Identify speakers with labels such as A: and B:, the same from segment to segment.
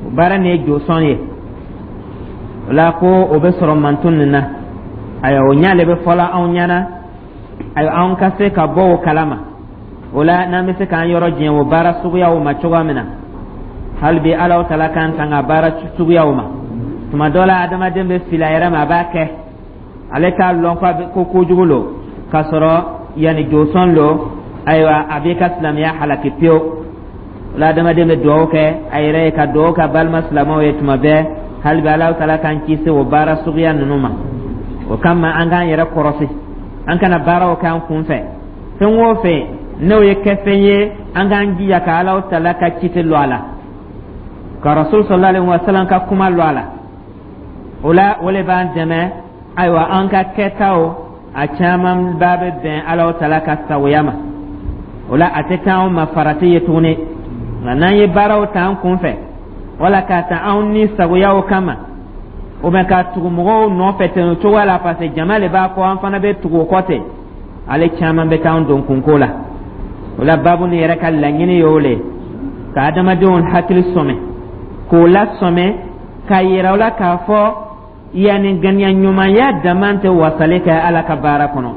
A: O baara nin ye josɔn ye. O la ko o bɛ sɔrɔ mantun nin na. Ayiwa, o ɲa le bɛ fɔla anw ɲɛna. Ayiwa, anw ka se ka bɔ o kalama. O la n'an bɛ se k'an yɔrɔ janya o baara suguyaw ma cogoya min na, hali bi Alahu Taala k'an tanga baara suguyaw ma. Tuma dɔ la, adamaden bɛ fili a yɛrɛ ma, a b'a kɛ, ale t'a lɔn ko kojugu lo, k'a sɔrɔ yanni josɔn lo. Ayiwa, a b'i ka silamɛya halaki pewu. O la adamaden bɛ dugawu kɛ a yɛrɛ ye, ka dugawu kɛ a balima silamɛw ye tuma bɛɛ. Hali bi Alahu Taala k'an kisi o baara suguya ninnu ma. O kama an k'an yɛrɛ kɔrɔsi, an kana baaraw kɛ an kun fɛ. Fɛn o fɛn n'o ye kɛfɛn ye, an k'an jija ka Alahu Taala ka citi lɔ a la, ka Rasul sallallahu alaihi wa sallam ka kuma lɔ a la. O la o le b'an dɛmɛ. Ayiwa, an ka kɛtaw a caman ba bɛ bɛn Alahu Taala ka sagoya ma. O la a tɛ kɛ anw ma farati ye tuguni. Nka n'an ye baaraw ta an kun fɛ, wala k'a ta anw ni sagoyaw kama, o bɛ ka tugu mɔgɔw nɔfɛ ten o cogoya la, parce que jama le b'a kɔ, an fana bɛ tugu o kɔ ten, ale caman bɛ taa an don kunko la. O la baabu nin yɛrɛ ka laɲini ye o le, ka adamadenw hakili sɔmɛ, k'o lasɔmɛ, k'a yira u la k'a fɔ yanni ŋaniya ɲumanya dama tɛ wasali kɛ Ala ka baara kɔnɔ.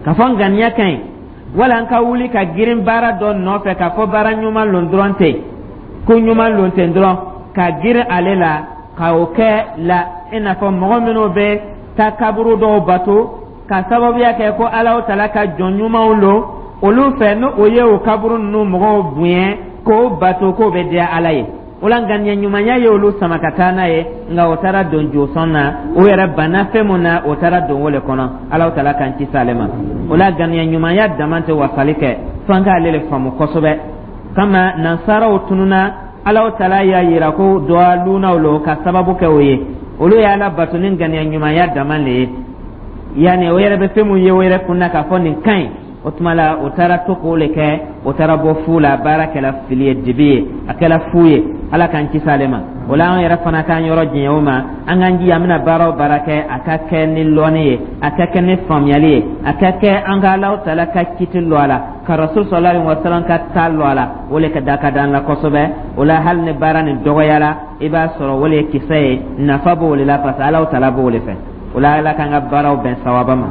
A: K'a fɔ ŋaniya ka ɲi, wala an ka wuli ka girin baara dɔ nɔfɛ k'a fɔ baara ɲuman lon dɔrɔn ten, ko ɲuman lon ten dɔrɔn, ka girin ale la ka o kɛ la, i n'a fɔ mɔgɔ minnu bɛ taa kaburu dɔw bato ka sababuya kɛ ko Alahu Taala ka jɔn ɲumanw lo olu fɛ, ni o ye o kaburu ninnu mɔgɔw bonya k'o bato, k'o bɛ diya Ala ye. O la ŋaniya ɲumanya ye olu sama ka taa n'a ye, nka o taara don josɔn na. O yɛrɛ banna fɛn mun na, o taara don o le kɔnɔ. Alahu Taala k'an kisi ale ma. O la ŋaniya ɲumanya dama tɛ wasali kɛ, f'an k'ale le faamu kosɛbɛ. Kama nansaraw tununa, Alahu Taala y'a yira ko dɔwalunaw lo ka sababu kɛ o ye. Olu ye Ala bato ni ŋaniya ɲumanya dama le ye, yanni o yɛrɛ bɛ fɛn mun ye o yɛrɛ kun na k'a fɔ nin ka ɲi. O tuma la o taara to k'o le kɛ, o taara bɔ fu la. Baara kɛla fili ye, dibi ye, a kɛla fu ye. Ala k'an kisi ale ma. O la an yɛrɛ fana k'an yɔrɔ janya o ma. An k'an jija, an bɛna baara o baara kɛ, a ka kɛ ni lɔnni ye, a ka kɛ ni faamuyali ye, a ka kɛ an ka Alahu Taala ka kiti lɔ a la, ka Rasul sallallahu alaihi wa sallam ka ta lɔ a la. O le ka da ka d'an la kosɛbɛ. O la hali ni baara nin dɔgɔyara, i b'a sɔrɔ o le ye kisɛ ye, nafa b'o le la, parce que Alahu Taala b'o le fɛ. O la Ala k'an ka baaraw bɛn sawaba ma.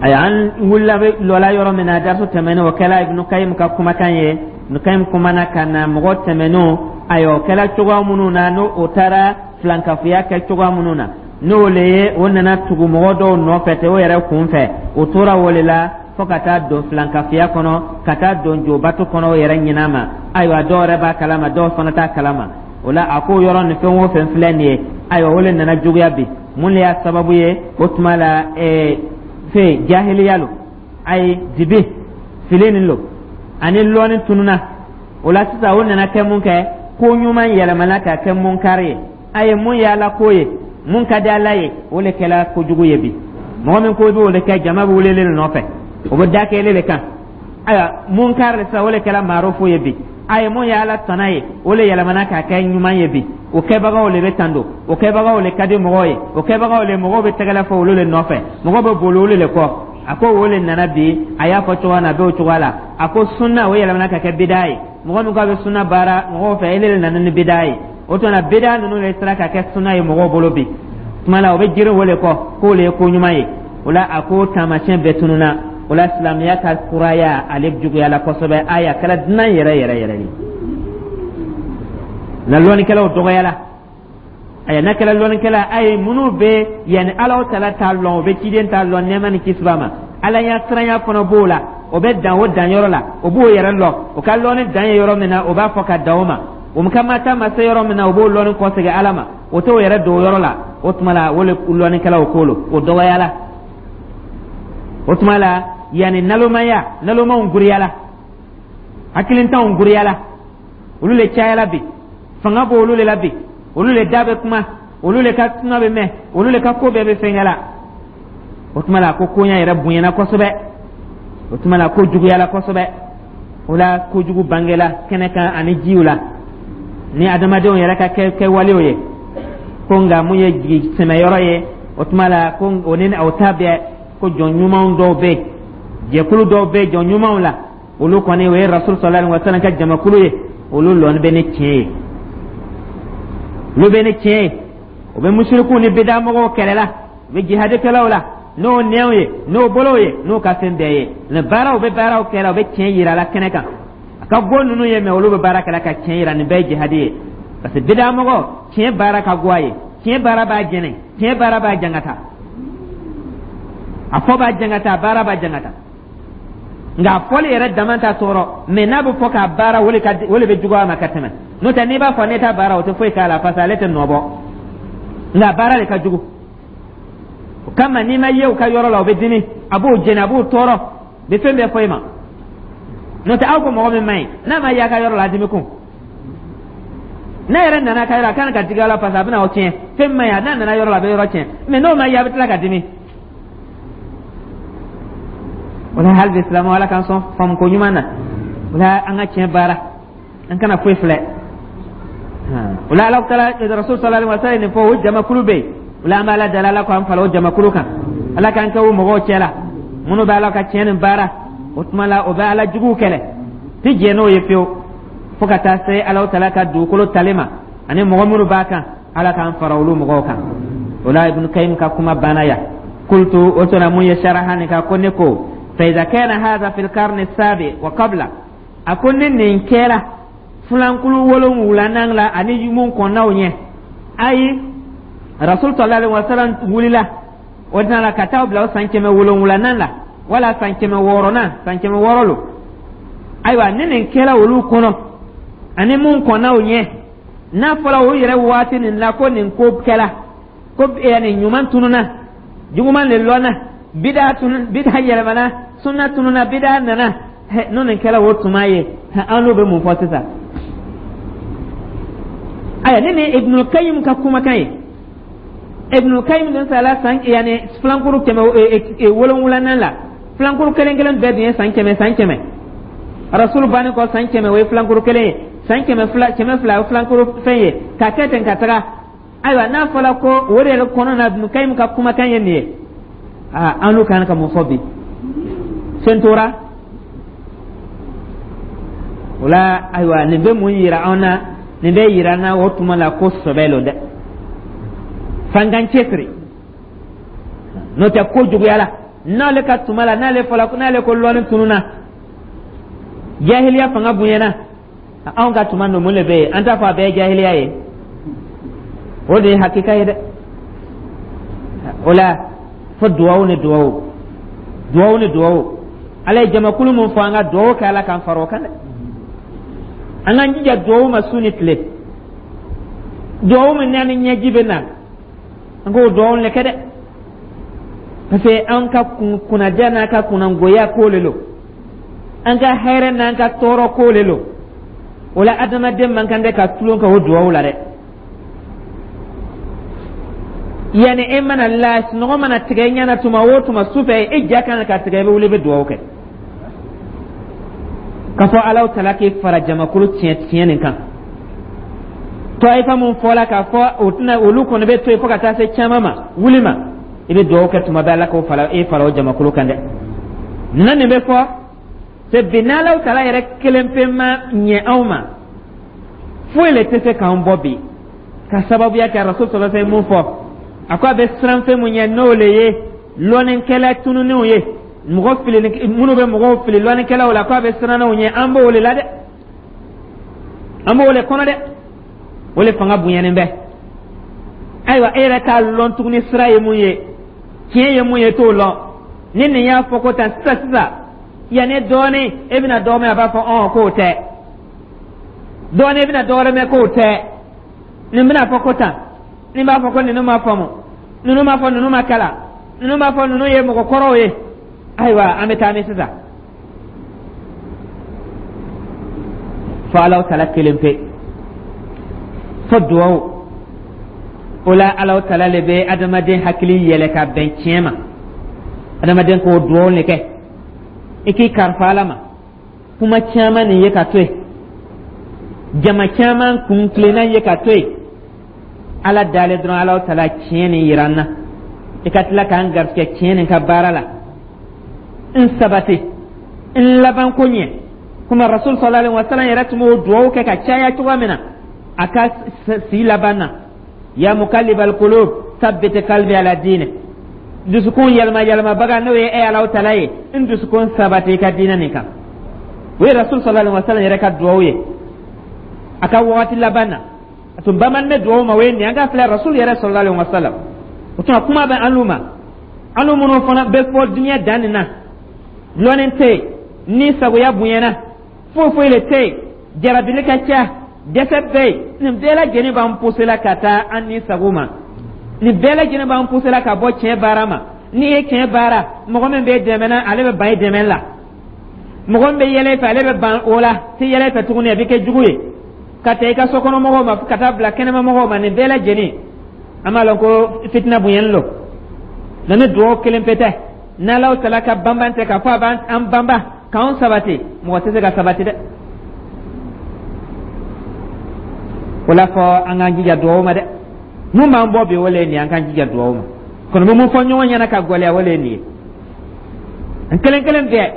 A: Ayiwa, an wulila bɛ lɔla yɔrɔ min na darisu tɛmɛnen, o kɛla Ibnu Kayim ka kumakan ye. Ibnu Kayim kumana ka na mɔgɔ tɛmɛnenw, ayiwa, o kɛla cogoya minnu na, n'o o taara filankafoya kɛ cogoya minnu na, n'o le ye o nana tugu mɔgɔ dɔw nɔfɛ ten o yɛrɛ kun fɛ, o tora o le la fo ka taa don filankafoya kɔnɔ, ka taa don jobato kɔnɔ o yɛrɛ ɲin'a ma. Ayiwa, dɔw yɛrɛ b'a kalama, dɔw fana t'a kalama. O la a ko yɔrɔ nin, fɛn o fɛn filɛ nin ye, ayiwa, o le nana juguya bi. Mun le y'a sababu ye? O tuma la fɛn jahiliya lo, ayi, dibi fili nin lo ani lɔɔni tununa. O la sisan o nana kɛ mun kɛ? Ko ɲuman yɛlɛmana ka kɛ munkari ye. A ye mun ye Ala ko ye, mun ka di Ala ye, o le kɛla kojugu ye bi. Mɔgɔ min ko i b'o le kɛ, jama bɛ wele le nɔfɛ, o bɛ da kɛ ele le kan. Ayiwa, munkari le sisan, o le kɛla maarufu ye bi. A ye mun ye Ala tana ye, o le yɛlɛmana k'a kɛ ɲuman ye bi. O kɛbagaw le bɛ tando, o kɛbagaw le ka di mɔgɔw ye, o kɛbagaw le mɔgɔw bɛ tɛgɛrɛ fɔ olu le nɔfɛ, mɔgɔw bɛ boli olu le kɔ. A ko o le nana bi. A y'a fɔ cogoya min na, a bɛ o cogoya la. A ko sunna, o yɛlɛmana ka kɛ bidaa ye. Mɔgɔ min ko a bɛ sunna baara mɔgɔw fɛ, ele le nana ni bidaa ye. O tuma na bidaa ninnu le sera ka kɛ sunna ye mɔgɔw bolo bi. Tuma la o bɛ girin o le kɔ k'o le ye ko ɲuman ye. O la a ko taamasiyɛn bɛɛ tununa. O la silamɛya ka kuraya, ale juguyala kosɛbɛ. Ayi, a kɛra dunan yɛrɛ yɛrɛ yɛrɛ de na. Lɔnnikɛlaw dɔgɔyala. Ayiwa, n'a kɛra lɔnnikɛla a ye, minnu bɛ yanni Alahu Taala t'a lɔn, o bɛ ciden t'a lɔn, nɛɛma ni kisi b'a ma, Ala ɲɛ siranya fana b'o la, o bɛ dan o danyɔrɔ la, o b'o yɛrɛ lɔn. O ka lɔnni dan ye yɔrɔ min na, o b'a fɔ ka dan o ma. O ka ma taa ma se yɔrɔ min na, o b'o lɔnni kɔsegin Ala ma, o t'o yɛrɛ don o yɔrɔ la. O tuma la o le lɔnnikɛlaw ko lo, o dɔgɔyala. O tuma la yanni nalomaya, nalomaw guriyala, hakilintanw guriyala, olu le cayala bi. Fanga b'olu le la bi, olu le da bɛ kuma, olu le ka kuma bɛ mɛn, olu le ka ko bɛɛ bɛ fɛnkɛ la. O tuma la ko koɲa yɛrɛ bonyana kosɛbɛ. O tuma la ko juguyala kosɛbɛ. O la kojugu bangela kɛnɛ kan ani jiw la ni adamadenw yɛrɛ ka kɛwalew ye. Ko nka mun ye jigi sɛmɛyɔrɔ ye? O tuma la ko o ni o ta bɛɛ, ko jɔn ɲumanw dɔw bɛ yen, jɛkulu dɔw bɛ jɔn ɲumanw la, olu kɔni o ye Rasul sallallahu alaihi wa sallam ka jamakulu ye. Olu lɔni bɛ ni tiɲɛ ye, olu bɛ ni tiɲɛ ye. U bɛ musirikiw ni bidamɔgɔw kɛlɛ la, u bɛ jihadikɛlaw la n'o nɛnw ye, n'o bolow ye, n'o ka fɛn bɛɛ ye. Nin baaraw bɛ baaraw kɛra, u bɛ tiɲɛ yira la kɛnɛ kan. A ka go ninnu ye, mɛ olu bɛ baara kɛla ka tiɲɛ yira. Nin bɛɛ ye jihadi ye, parce que bidamɔgɔ, tiɲɛ baara ka go a ye, tiɲɛ baara b'a jɛnɛ, tiɲɛ baara b'a jangata, a fɔ b'a jangata, a baara b'a jangata. Nka a fɔli yɛrɛ dama t'a tɔɔrɔ, mɛ n'a bɛ fɔ k'a baara, o le bɛ juguya a ma ka tɛmɛ. N'o tɛ, n'i b'a fɔ ne t'a baara, o tɛ foyi k'a la, parce que ale tɛ nɔ bɔ, nka baara de ka jugu. O kama, n'i ma ye u ka yɔrɔ la, o bɛ dimi, a b'o jɛni, a b'o tɔɔrɔ, bɛ fɛn bɛɛ fɔ i ma. N'o tɛ, aw ko mɔgɔ min man ɲi, n'a ma ye a ka yɔrɔ la, a dimi kun. N'a yɛrɛ nana a ka yɔrɔ, a kan ka digi a la, parce que a bɛna aw tiɲɛ. Fɛn man ɲi, n'a nana yɔrɔ la, a bɛ yɔrɔ tiɲɛ, mɛ n'o ma ye, a bɛ tila ka dimi. O la, hali bi silamɛw, Ala k'an sɔn faamuko ɲuman na. O la, an ka tiɲɛ baara, an kana foyi filɛ. O la, Ala taala Rasul sallallahu alaihi wa sallam nin fɔ, o jamakulu bɛ yen. O la, an bɛ Ala deli, Ala k'an fara o jamakulu kan, Ala k'an kɛ o mɔgɔw cɛ la minnu bɛ Ala ka tiɲɛ nin baara. O tuma la, o bɛ Ala juguw kɛlɛ, ti jɛn n'o ye fiyewu, fo ka taa se Ala taala ka dugukolo tali ma ani mɔgɔ minnu b'a kan. Ala k'an fara olu mɔgɔw kan. O la, Ibn Kayim ka kuma banna yan. Kultu, o tuma mun ye saraha nin kan ko ne ko fa iza kana hadha fil karni sabi wa qabla, a ko ni nin kɛra filankulu wolonwulanan la ani mun kɔnnaw ɲɛ, ayi, Rasul sallallahu alaihi wasallam wulila o tana ka taa bila o san 700nan la, wala san 600nan, san 600 lo. Ayiwa, ni nin kɛra olu kɔnɔ ani mun kɔnnaw ɲɛ, n'a fɔra o yɛrɛ waati nin la ko nin ko kɛra, ko yani ɲuman tununa, juguman le lɔnna, bida tun, bida yɛlɛmana, sunna tununa, bida nana, n'o nin kɛra o tuma ye, an n'o bɛ mun fɔ sisan? Aya, ni nin Ibnul Qayyim ka kumakan ye. Ibnul Qayyim dun sala san yani filankuru 700nan la. Filankuru kelen kelen bɛɛ dun ye san 100, san 100. Rasul banni kɔ san 100, o ye filankuru kelen ye. San 200, 200, o filankuru fɛn ye ka kɛ ten ka taga. Ayiwa, n'a fɔra ko o de yɛrɛ kɔnɔ na, Ibnul Qayyim ka kumakan ye nin ye, aa, an n'u kan ka mun fɔ bi? Sen tora o la. Ayiwa, nin bɛ mun yira an na? Nin bɛ yira an na o tuma la ko sɔbɛ lo dɛ, f'an k'an cɛsiri. N'o tɛ, ko juguyala n'ale ka tuma la, n'ale fɔla, n'ale ko lɔnni tununa, jahiliya fanga bonyana. Anw ka tuma ninnu, mun de bɛ yen? An t'a fɔ a bɛɛ ye jahiliya ye, o de ye hakika ye dɛ. O la, fo duwawu ni duwawu, duwawu ni duwawu. Ala ye jamakulu mun fɔ, an ka duwawu kɛ Ala k'an fara o kan dɛ. An k'an jija duwawu ma su ni tile, duwawu min n'a ni ɲɛji bɛ na, an k'o duwawu le kɛ dɛ, parce que an ka kunnadiya n'an ka kunnangoya ko le lo, an ka hɛrɛ n'an ka tɔɔrɔ ko le lo. O la, adamaden man kan tɛ ka tulon kɛ o duwawu la dɛ. Yanni e mana la, sunɔgɔ mana tigɛ i ɲɛna tuma o tuma su fɛ, e ja kan ka tigɛ, i bɛ wuli, i bɛ duwawu kɛ k'a fɔ Alahu tala k'e fara jamakulu tiɲɛ tiɲɛ nin kan. Tɔyifa mun fɔla k'a fɔ o tɛna, olu kɔni bɛ to yen fo ka taa se caman ma wuli ma, i bɛ duwawu kɛ tuma bɛɛ, Ala k'o fara e fara o jamakulu kan dɛ. Na nin bɛ fɔ se bi, n'Alahu tala yɛrɛ kelen pe ma ɲɛ anw ma, foyi le tɛ se k'an bɔ bi, ka sababuya kɛ Rasul sallallahu alaihi wasallam mun fɔ, a ko a bɛ siran fɛn mun ɲɛ, n'o le ye lɔnnikɛla tununnenw ye, mɔgɔ fili minnu bɛ mɔgɔw fili lɔnnikɛlaw la, ko a bɛ siran n'o ɲɛ. An b'o le la dɛ, an b'o le kɔnɔ dɛ, o le fanga bonyanen bɛ. Ayiwa, e yɛrɛ t'a lɔn tuguni sira ye mun ye, tiɲɛ ye mun ye, t'o lɔn. Ni nin y'a fɔ ko tan sisan sisan, yanni dɔɔnin e bɛna dɔ mɛn, a b'a fɔ ɔn k'o tɛ. Dɔɔnin e bɛna dɔ wɛrɛ mɛn k'o tɛ. Nin bɛna fɔ ko tan, nin b'a fɔ ko ninnu ma faamu, ninnu b'a fɔ ninnu ma kalan, ninnu b'a fɔ ninnu ye mɔgɔ kɔrɔw ye. Ayiwa, an bɛ taa min sisan? Fo Alahu tala kelen pe, fo duwawu. O la, Alahu tala le bɛ adamaden hakili yɛlɛ ka bɛn tiɲɛ ma. Adamaden k'o duwawu le kɛ, i k'i karifa Ala ma. Kuma caman nin ye ka to yen, jama caman kun tilenna ye ka to yen, Ala dalen dɔrɔn. Alahu tala, tiɲɛ nin yira n na, i ka tila k'an garisɛgɛ tiɲɛ nin ka baara la, n sabati, n laban ko ɲɛ. Komi Rasul sallallahu alaihi wasallam yɛrɛ tun b'o duwawu kɛ ka caya cogoya min na a ka si laban na: ya muqallibal qulub, thabbit qalbi ala dinik. Dusukun yɛlɛma yɛlɛmabaga, n'o ye e Alahu Taala ye, n dusukun sabati i ka diinɛ nin kan. O ye Rasul sallallahu alaihi wasallam yɛrɛ ka duwawu ye a ka wagati laban na, a tun bamanin bɛ duwawu ma. O ye nin ye. An ka filɛ Rasul yɛrɛ sallallahu alaihi wasallam. O tuma, kuma bɛ an ma, an minnu fana bɛ fɔ diɲɛ dan nin na, lɔnni tɛ yen, ni sagoya bonyana, foyi foyi le tɛ yen, jarabili ka ca, dɛsɛ bɛ yen. Nin bɛɛ lajɛlen b'an pousser la ka taa an ni sago ma. Nin bɛɛ lajɛlen b'an pousser la ka bɔ tiɲɛ baara ma. N'i ye tiɲɛ baara, mɔgɔ min bɛ dɛmɛ na, ale bɛ ban i dɛmɛ la. Mɔgɔ min bɛ yɛlɛ i fɛ, ale bɛ ban o la, tɛ yɛlɛ i fɛ tuguni, a bɛ kɛ jugu ye ka taa i ka sokɔnɔmɔgɔw ma, ka taa bila kɛnɛmamɔgɔw ma. Nin bɛɛ lajɛlen, an b'a lɔn ko fitina bonyani lo. Nka ni dugawu kelen pe tɛ, n'Alahu Taala ka banban tɛ, k'a fɔ a b'an banba k'anw sabati, mɔgɔ tɛ se ka sabati dɛ. O la fɔ an k'an jija dugawu ma dɛ. Mun b'an bɔ bi, o le ye nin ye. An k'an jija dugawu ma. Kɔni bɛ mun fɔ ɲɔgɔn ɲɛna ka gɛlɛya, o le ye nin ye, an kelen kelen bɛɛ.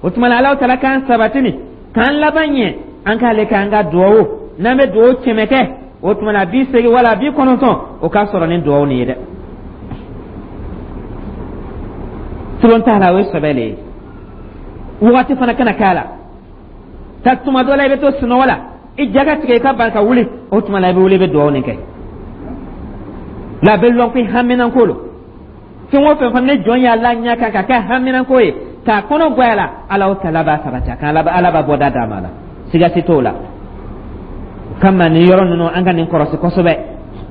A: O tuma na, Alahu Taala k'an sabati nin k'an laban ɲɛ. An k'ale k'an ka dugawu, n'an bɛ dugawu 100 kɛ, o tuma na 80 wala 90, o ka sɔrɔ ni dugawu nin ye dɛ. Tulon t'a la, o ye sɛbɛ le ye. Wagati fana kana k'a la ka tuma dɔ la, i bɛ to sunɔgɔ la, i ja ka tigɛ, i ka ban ka wuli. O tuma la, i bɛ wuli, i bɛ dugawu nin kɛ la, a bɛ lɔn ko i haminanko lo. Fɛn o fɛn fana ni jɔn y'a la ɲɛ kan ka kɛ haminanko ye, k'a kɔnɔ goya la, Ala Taala b'a sabati a kan, Ala b'a bɔda d'a ma la, siga si t'o la. O kama, nin yɔrɔ ninnu, an ka nin kɔrɔsi kosɛbɛ.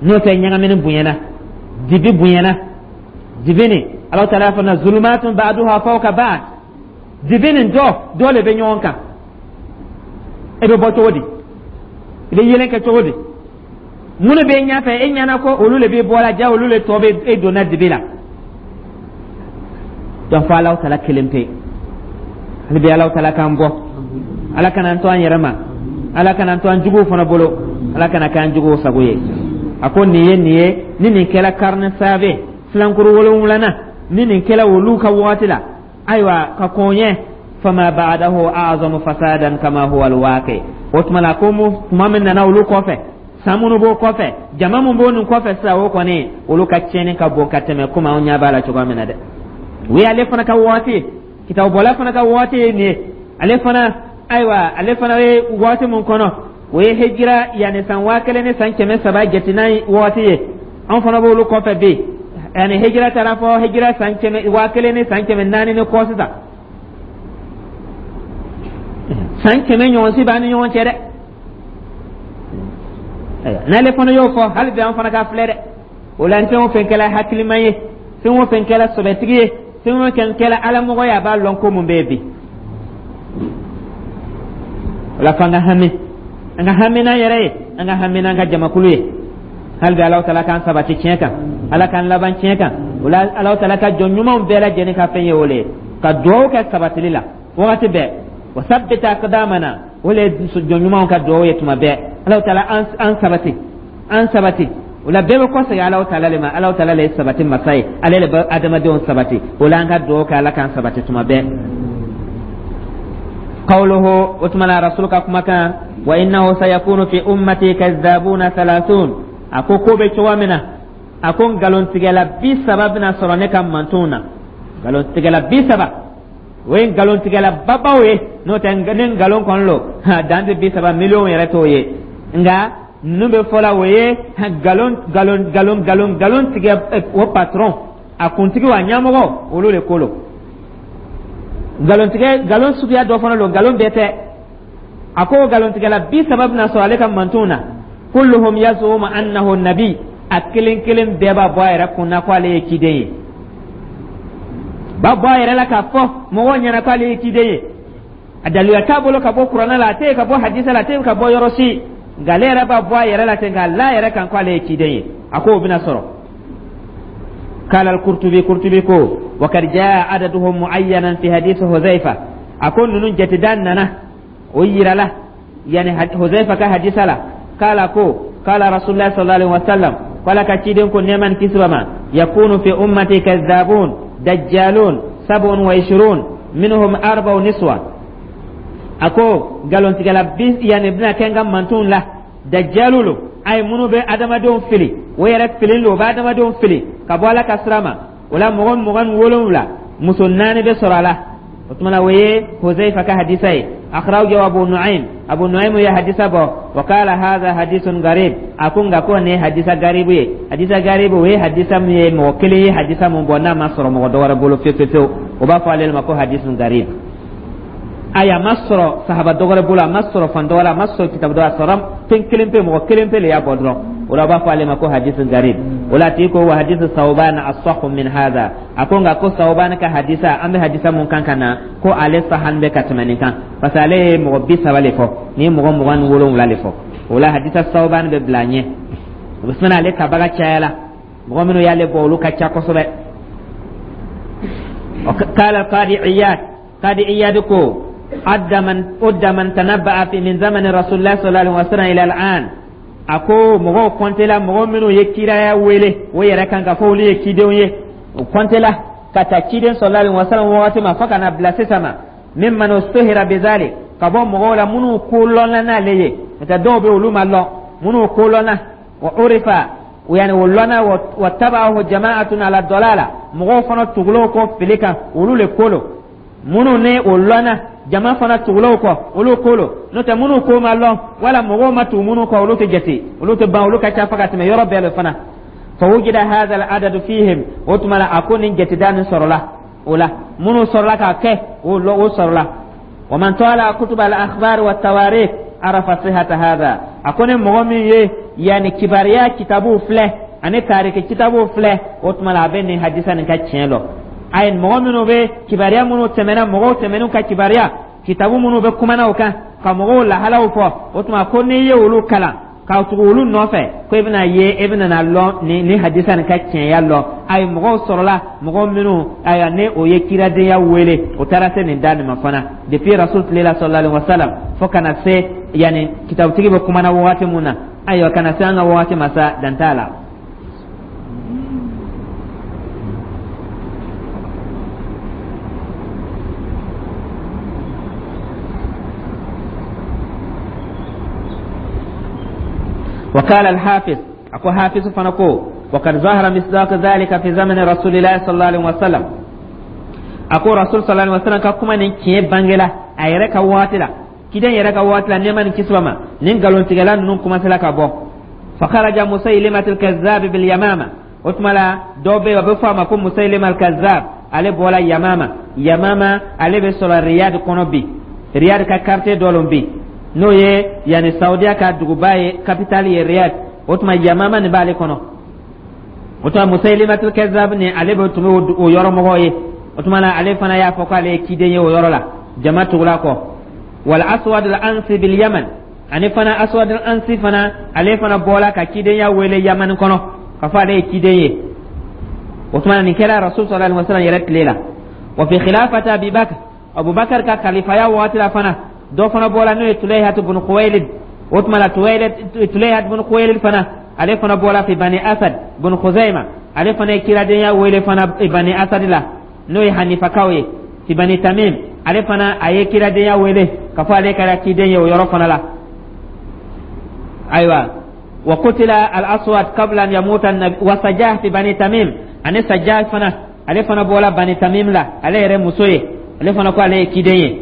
A: N'o tɛ, ɲagamini bonyana, dibi bonyana. Dibi nin, Ala Taala fana zulumatun ba'duha fawqa ba'd. Dibi nin, dɔ dɔ le bɛ ɲɔgɔn kan. E bɛ bɔ cogo di? I bɛ yelen kɛ cogo di? Minnu bɛ ɲɛfɛ, e ɲɛna ko olu le bɛ bɔ la, ja olu le tɔ bɛ e donna dibi la. Donc fo Alahu Taala kelen pe. Hali bi, Alahu Taala k'an bɔ, Ala kana an to an yɛrɛ ma, Ala kana an to an juguw fana bolo, Ala kana k'an juguw sago ye. A ko nin ye nin ye, ni nin kɛla karne sabe, filankuru wolonwulanan, ni nin kɛla olu ka waati la, ayiwa, ka kɔn ɲɛ, fama ba'dahu a'zamu fasadan kama huwa alwaqi. O tuma la, ko mu tuma min nana olu kɔfɛ, san minnu b'o kɔfɛ, jama min b'o nin kɔfɛ sisan, o kɔni, olu ka tiɲɛni ka bon ka tɛmɛ komi anw ɲɛ b'a la cogoya min na dɛ. O ye ale fana ka waati, kitabubɔla fana ka waati ye nin ye. Ale fana, ayiwa, ale fana ye waati min kɔnɔ, o ye hijira yanni san 1300 jatenan waati ye. An fana b'olu kɔfɛ bi, yanni hijira taara fɔ hijira san kɛmɛ 1400 ni kɔ sisan, san 100 ɲɔgɔn si b'an ni ɲɔgɔn cɛ dɛ. N'ale fana y'o fɔ, hali bi an fana ka filɛ dɛ. O la, fɛn o fɛn kɛla hakilima ye, fɛn o fɛn kɛla sɔbɛtigi ye, fɛn o fɛn kɛla alamɔgɔ ye, a b'a lɔn ko mun bɛ yen bi. O la, f'an ka hami, an ka hami n'an yɛrɛ ye, an ka hami n'an ka jamakulu ye. Hali bi, Alahu Taala k'an sabati tiɲɛ kan, Ala k'an laban tiɲɛ kan. O la, Alahu Taala ka jɔn ɲumanw bɛɛ lajɛlen ka fɛn ye o le ye, ka duwawu kɛ sabatili la wagati bɛɛ. Wa sabbit aqdamana, o le ye jɔn ɲumanw ka duwawu ye tuma bɛɛ. Alahu Taala, an sabati, an sabati. O la, bɛɛ bɛ kɔsegin Alahu Taala le ma. Alahu Taala le ye sabati masa ye, ale le bɛ adamadenw sabati. O la, an ka duwawu kɛ Ala k'an sabati tuma bɛɛ. Qawluhu, o tuma na, Rasul ka kumakan, wa innahu sayakunu fi ummati kazzabuna thalathun. A ko ko bɛ cogoya min na, a ko nkalontigɛla 30 bɛna sɔrɔ ne ka mantonw na. Nkalontigɛla 30, o ye nkalontigɛla babaw ye. N'o tɛ, ni nkalon kɔni lo, dan tɛ 30, miliyɔn yɛrɛ t'o ye. Nka ninnu bɛ fɔla, o ye nkalon nkalon nkalon nkalon nkalon tigɛ o patron, a kuntigi, a ɲɛmɔgɔ, olu de ko lo. Nkalontigɛ, nkalon suguya dɔ fana don, nkalon bɛɛ tɛ. A ko nkalontigɛla 30 bɛna sɔrɔ ale ka mantonw na. Kulluhum yazumu annahu nabi, a kelen kelen bɛɛ b'a bɔ a yɛrɛ kun na ko ale ye ciden ye, b'a bɔ a yɛrɛ la k'a fɔ mɔgɔw ɲɛna ko ale ye ciden ye. A daliluya t'a bolo ka bɔ Kuranɛ la, a tɛ ka bɔ hadisa la, a tɛ ka bɔ yɔrɔ si, nka ale yɛrɛ b'a bɔ a yɛrɛ la ten k'a la a yɛrɛ kan ko ale ye ciden ye. A ko o bɛna sɔrɔ. قال القرطبي، قرطبي ko وقد جاء عددهم معينا في حديث حذيفة. A ko ninnu jateda nana o yirala yani Huzaifa ka hadisa la. Kala ko kala Rasulullah sallallahu alaihi wasallam, kala ka ciden ko, nɛɛma ni kisi b'a ma, yakunu fi ummati kazzabun dajjalun 27, minhum arba'u niswa. A ko nkalontigɛla bi yanni bɛna kɛ n ka mantonw la, dajalu lo. A ye minnu bɛ adamadenw fili, o yɛrɛ fililen lo, o bɛ adamadenw fili ka bɔ Ala ka sira ma. O la, mɔgɔ 27, muso naani bɛ sɔrɔ a la. O tuma na, o ye Huzaifa ka hadisa ye. Akhrajahu Abu Nu'aym, Abu Nu'aym ye hadisa bɔ. Wa qala hadha hadithun garib. A ko nka ko nin ye hadisa garibu ye. Hadisa garibu, o ye hadisa min ye mɔgɔ kelen ye hadisa mun bɔ, n'a ma sɔrɔ mɔgɔ dɔ wɛrɛ bolo fewu fewu, o b'a fɔ ale ma ko hadisun garib. Ayi, a ma sɔrɔ sahaba dɔ wɛrɛ bolo, a ma sɔrɔ fan dɔ wɛrɛ, a ma sɔrɔ kitabu dɔ, a sɔrɔ fɛn kelen pe, mɔgɔ kelen pe le y'a bɔ dɔrɔn. O la, a b'a fɔ ale ma ko hadisun garib. O la, a tigi ko wa hadisu Sawban asahhu min hadha. A ko nka ko Sawban ka hadisa, an bɛ hadisa mun kan ka na, ko ale sahan bɛ ka tɛmɛ nin kan, parce que ale ye mɔgɔ 30 le fɔ, nin ye mɔgɔ 27 le fɔ. O la, hadisa Sawban bɛ bila ɲɛ. O bɛ sina ale tabaga cayala, mɔgɔ minnu y'ale bɔ, olu ka ca kosɛbɛ. Qala Qadi Iyad, Qadi Iyad ko adda man udda man tanabba'a fi min zamani Rasulillah sallallahu alaihi wasallam ila al'an. A ko mɔgɔw kɔntela, mɔgɔ minnu ye kiraya wele o yɛrɛ kan ka fɔ olu ye cidenw ye, o kɔntela ka taa ciden sallallahu alaihi wasallam wagati ma fo ka na bila sisan ma. Mimman ustuhira bizalik, ka bɔ mɔgɔw la minnu ko lɔnna n'ale ye, n'o tɛ dɔw bɛ olu ma lɔn, minnu ko lɔnna, wa urifa, yani o lɔnna, wa tabahu jama'atun ala dalala, mɔgɔw fana tugul'o kɔ fili kan, olu le ko lo. Minnu ni o lɔnna, jama fana tugul'o kɔ, olu ko lo. N'o tɛ minnu ko ma lɔn wala mɔgɔw ma tugu minnu kɔ, olu tɛ jate, olu tɛ ban, olu ka ca fo ka tɛmɛ yɔrɔ bɛɛ le fana. Fa wujida hadha al-adadu fihim. O tuma la, a ko nin jateda nin sɔrɔla o la, minnu sɔrɔla k'a kɛ, o lɔ o sɔrɔla. Wa man tala kutub al-akhbar wa tawarikh arafa sihata hadha. A ko ni mɔgɔ min ye yani kibariya kitabuw filɛ ani tariki kitabuw filɛ, o tuma la, a bɛ nin hadisa nin ka tiɲɛ lɔn. Ayi, mɔgɔ minnu bɛ kibaruya minnu tɛmɛna, mɔgɔw tɛmɛn'u ka kibaruya kitabu minnu bɛ kumana o kan ka mɔgɔw lahalaw fɔ, o tuma ko n'i ye olu kalan ka tugu olu nɔfɛ, ko i bɛna ye, e bɛna na lɔn ni hadisa nin ka tiɲɛya lɔn. Ayi, mɔgɔw sɔrɔla, mɔgɔ minnu, ayiwa, ni o ye kiradenya wele, o taara se nin da nin ma fana, depuis Rasul tile la sallallahu alaihi wasallam fo ka na se yanni kitabutigi bɛ kumana wagati mun na, ayiwa, ka na se an ka wagati ma sa, dan t'a la. وقال الحافظ، أكو حافظ فنكو وقد ظهر مصداق ذلك في زمن رسول الله صلى الله عليه وسلم. أكو رسول صلى الله عليه وسلم كما نكي بانجلا أيرك واتلا كده يرك واتلا نيمان كسوما نين قالون تجلان نون كما سلا كابو. فخرج مسيلمة الكذاب باليمامة. O tuma la, dɔw bɛ yen, a bɛ fɔ a ma ko Musaylima al-Kazzab. Ale bɔra Yamama. Yamama, ale bɛ sɔrɔ Riyad kɔnɔ bi, Riyad ka quartier dɔ lon bi, n'o ye yanni Saudiya ka duguba ye, capitale ye Riyad. O tuma Yamama nin b'ale kɔnɔ. O tuma Musaylimatul Kazzab ni ale bɛ tun bɛ o yɔrɔ mɔgɔw ye. O tuma na, ale fana y'a fɔ k'ale ye ciden ye o yɔrɔ la, jama tugula kɔ. Wal Aswad al Ansi bil Yaman, ani fana Aswad al Ansi fana, ale fana bɔra ka cidenya wele Yaman kɔnɔ k'a fɔ ale ye ciden ye. O tuma nin kɛra Rasul sallallahu alaihi wasallam yɛrɛ tile la. Wa fi khilafati Abi Bakr, Abubakar ka kalifaya waati la fana, dɔ fana bɔra, n'o ye Tulayhat ibn Khuwaylid. O tuma la, Tulayhat ibn Khuwaylid fana, ale fana bɔra fi Bani Asad ibn Khuzaima. Ale fana ye kiradenya wele fana Bani Asad la, n'o ye Hanifakaw ye, fi Bani Tamim. Ale fana a ye kiradenya wele k'a fɔ ale kɛra ciden ye o yɔrɔ fana la. Ayiwa, wa qutila al-Aswad qabla an yamuta an-nabi. Wa Sajah fi Bani Tamim, ani Sajah fana, ale fana bɔra Bani Tamim la, ale yɛrɛ muso ye, ale fana ko ale ye ciden ye.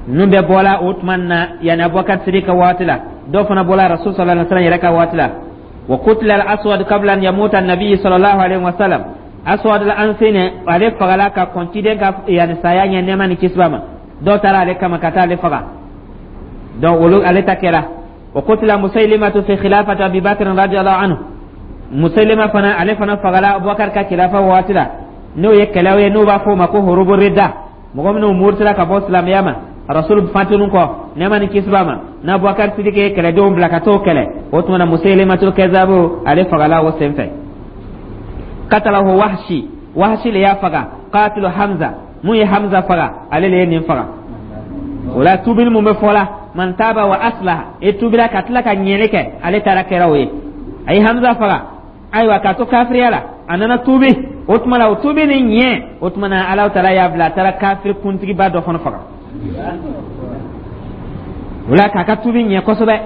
A: Ninnu bɛɛ bɔra o tuma na yanni Abubakar Sidiki ka waati la. Dɔw fana bɔra Rasul sallallahu alaihi wasallam yɛrɛ ka waati la. Wa qutila al-Aswad qabla an yamuta an-nabi sallallahu alaihi wasallam. Aswad al-Ansi ne, ale fagala ka kɔn ciden ka yanni saya ɲɛ, nɛɛma ni kisi b'a ma. Dɔw taara ale kama ka taa ale faga, donc olu ale ta kɛra. Wa qutila Musaylimatu fi khilafati Abi Bakr radiyallahu anhu. Musaylima fana, ale fana fagala Abubakar ka khilafa waati la, n'o ye kɛlɛw ye n'o b'a fɔ o ma ko hurubu ridda, mɔgɔ minnu murutila ka bɔ silamɛya ma Rasul fatunu kɔ, nɛɛma ni kisi b'a ma, n'Abubakar Sidiki ye kɛlɛdenw bila ka t'o kɛlɛ. O tuma na, Musaylimatul Kazabu, ale fagala o senfɛ. Katalahu Wahshi, Wahshi le y'a faga, qatilu Hamza, mun ye Hamza faga, ale le ye nin faga. O la, tubili mun bɛ fɔ la, man taba wa aslaha, e tubila ka tila ka ɲɛli kɛ, ale taara kɛra o ye. A ye Hamza faga, ayiwa, k'a to kafiriya la, a nana tubi. O tuma la, o tubi ni ɲɛ, o tuma na, Alahu taala y'a bila a taara kafiri kuntigiba dɔ fana faga. O la k'a ka tubi ɲɛ kosɛbɛ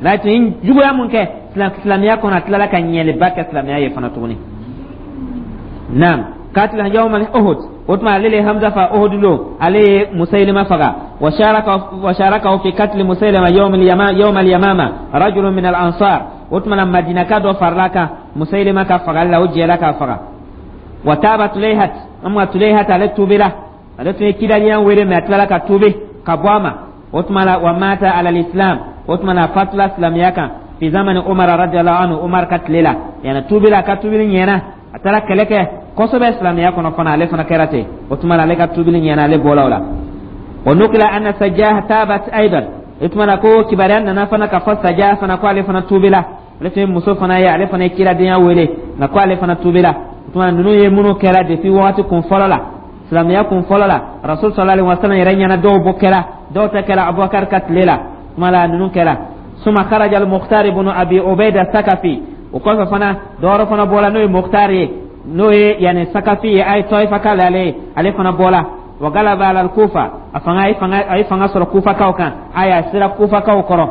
A: la, tun ye juguya mun kɛ silamɛya kɔnɔ, a tilala ka ɲɛliba kɛ silamɛya ye fana tuguni. Naam, katila yawma Uhud, o tuma ale le Hamza fa Uhud lo, ale ye Musaylima faga. Wa sharaka fi katli Musaylima yawm al-Yamama rajulun min al-Ansar. O tuma na Madinaka dɔ farala kan Musaylima ka fagali la, o jɛra k'a faga. Wa taba Tulayhat, amma Tulayhat ale tubila, ale tun ye kidaliya wele, mais a tilala ka tubi ka bɔ a ma. O tuma la wa mata ala al-Islam, o tuma na fatula silamɛya kan fi zamani Umar radiyallahu anhu, Umar ka tile la. Yani tubila, ka tubili ɲɛna, a taara kɛlɛ kɛ kosɛbɛ silamɛya kɔnɔ fana, ale fana kɛra ten. O tuma na ale ka tubili ɲɛna, ale bɔla o la. Wa nukila anna Sajah tabat aidan, o tuma na ko kibaruya nana fana ka fɔ Sajah fana ko ale fana tubila, ale tun ye muso fana ye, ale fana ye kiradenya wele, nka ko ale fana tubila. O tuma ninnu ye minnu kɛra depuis wagati kun fɔlɔ la, silamɛya kun fɔlɔ la, Rasul sallallahu alaihi wasallam yɛrɛ ɲɛna. Dɔw bɔ kɛra, dɔw tɛ kɛra Abubakar ka tile la. Tuma la ninnu kɛra. Suma kharaja al-Mukhtar ibn Abi Ubayda Sakafi, o kɔfɛ fana dɔwɛrɛ fana bɔra, n'o ye Mukhtar ye, n'o ye yani Sakafi ye, a ye Tɔyifa k'ale ale ye, ale fana bɔra. Wa galaba ala Kufa, a fanga a ye fanga a ye fanga sɔrɔ Kufakaw kan, a y'a sera Kufakaw kɔrɔ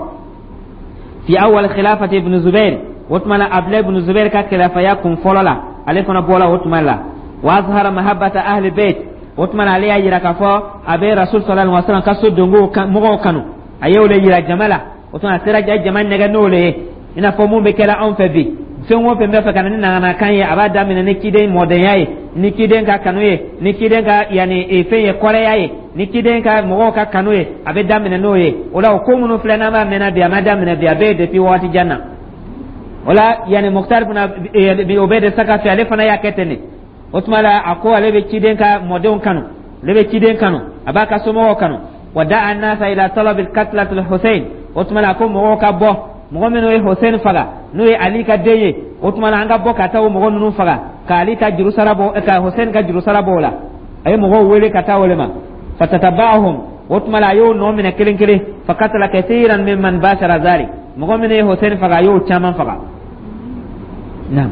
A: fi awwal khilafati ibn Zubair. O tuma la Abdulayi ibn Zubair ka khilafaya kun fɔlɔ la, ale fana bɔra o tuma la. Wa azhara mahabbata ahli bait, o tuma la ale y'a yira k'a fɔ a bɛ Rasul sallallahu alaihi wasallam ka so dongo mɔgɔw kanu, a y'o le yira jama la. O tuma a sera jama nɛgɛ n'o le ye, i n'a fɔ mun bɛ kɛla anw fɛ bi. Fɛn o fɛn bɛ fɛ ka na ni naganakan ye, a b'a daminɛ ni ciden mɔdenya ye, ni ciden ka kanu ye, ni ciden ka yanni fɛn ye, kɔrɛya ye, ni ciden ka mɔgɔw ka kanu ye, a bɛ daminɛ n'o ye. O la o ko minnu filɛ n'an b'a mɛnna bi, a ma daminɛ bi, a bɛ yen depuis waati jan na. O la yanni Mukutari fana o bɛ de Sakafi, ale fana y'a kɛ ten de. O tuma la a ko ale bɛ ciden ka mɔdenw kanu, ale bɛ ciden kanu, a b'a ka somɔgɔw kanu. Wa da'a an-nasa ila talabi katlati al-Husayn, o tuma la a ko mɔgɔw ka bɔ, mɔgɔ minnu ye Hussein faga, n'o ye Ali ka den ye, o tuma la an ka bɔ ka taa o mɔgɔ ninnu faga ka Ali ka juru sara bɔ, ka Hussein ka juru sara bɔ o la. A ye mɔgɔw wele ka taa o le ma. Fatataba'ahum, o tuma la a y'o nɔ minɛ kelen kelen. Fa katala kathiran mimman bashara zalik, mɔgɔ minnu ye Hussein faga, a y'o caman faga. Naam,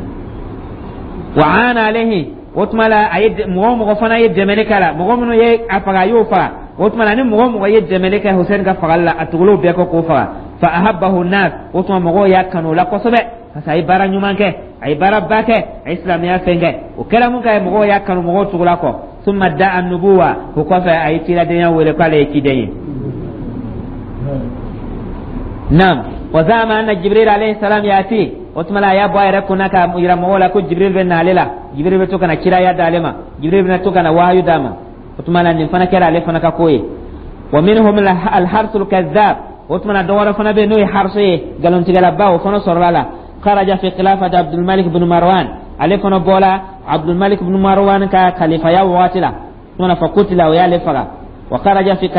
A: wa ana alayhi, o tuma la a ye mɔgɔ o mɔgɔ fana ye dɛmɛli k'a la, mɔgɔ minnu ye a faga, a y'o faga. O tuma la ni mɔgɔ o mɔgɔ ye dɛmɛli kɛ Hussein ka fagali la, a tugul'o bɛɛ kɔ k'o faga. Fa ahabbahu nas, o tuma mɔgɔw y'a kanu o la kosɛbɛ, parce que a ye baara ɲuman kɛ, a ye baaraba kɛ, a ye silamɛya fɛn kɛ. O kɛra mun kɛ, mɔgɔw y'a kanu, mɔgɔw tugula kɔ. Summa da'a nubuwa, o kɔfɛ a ye ciladenya wele k'ale ye ciden ye. Naam, wa zama anna Jibril alayhi salam yati, o tuma la a y'a bɔ a yɛrɛ kunna ka yira mɔgɔw la ko Jibril bɛ na ale la, Jibril bɛ to ka na kiraya d'ale ma, Jibril bɛ to ka na wahayu d'a ma. O tuma la nin fana kɛra ale fana ka ko ye. Wa minhum al-Harsul kazzab, o tuma na dɔ wɛrɛ fana bɛ yen n'o ye Harso ye, nkalontigɛlaba, o fana sɔrɔla la. Kharaja fi khilafati Abdul Malik ibn Marwan, ale fana bɔra Abdul Malik ibn Marwan ka kalifaya waati la. O tuma na fa kutila, o y'ale faga. Wa kharaja fi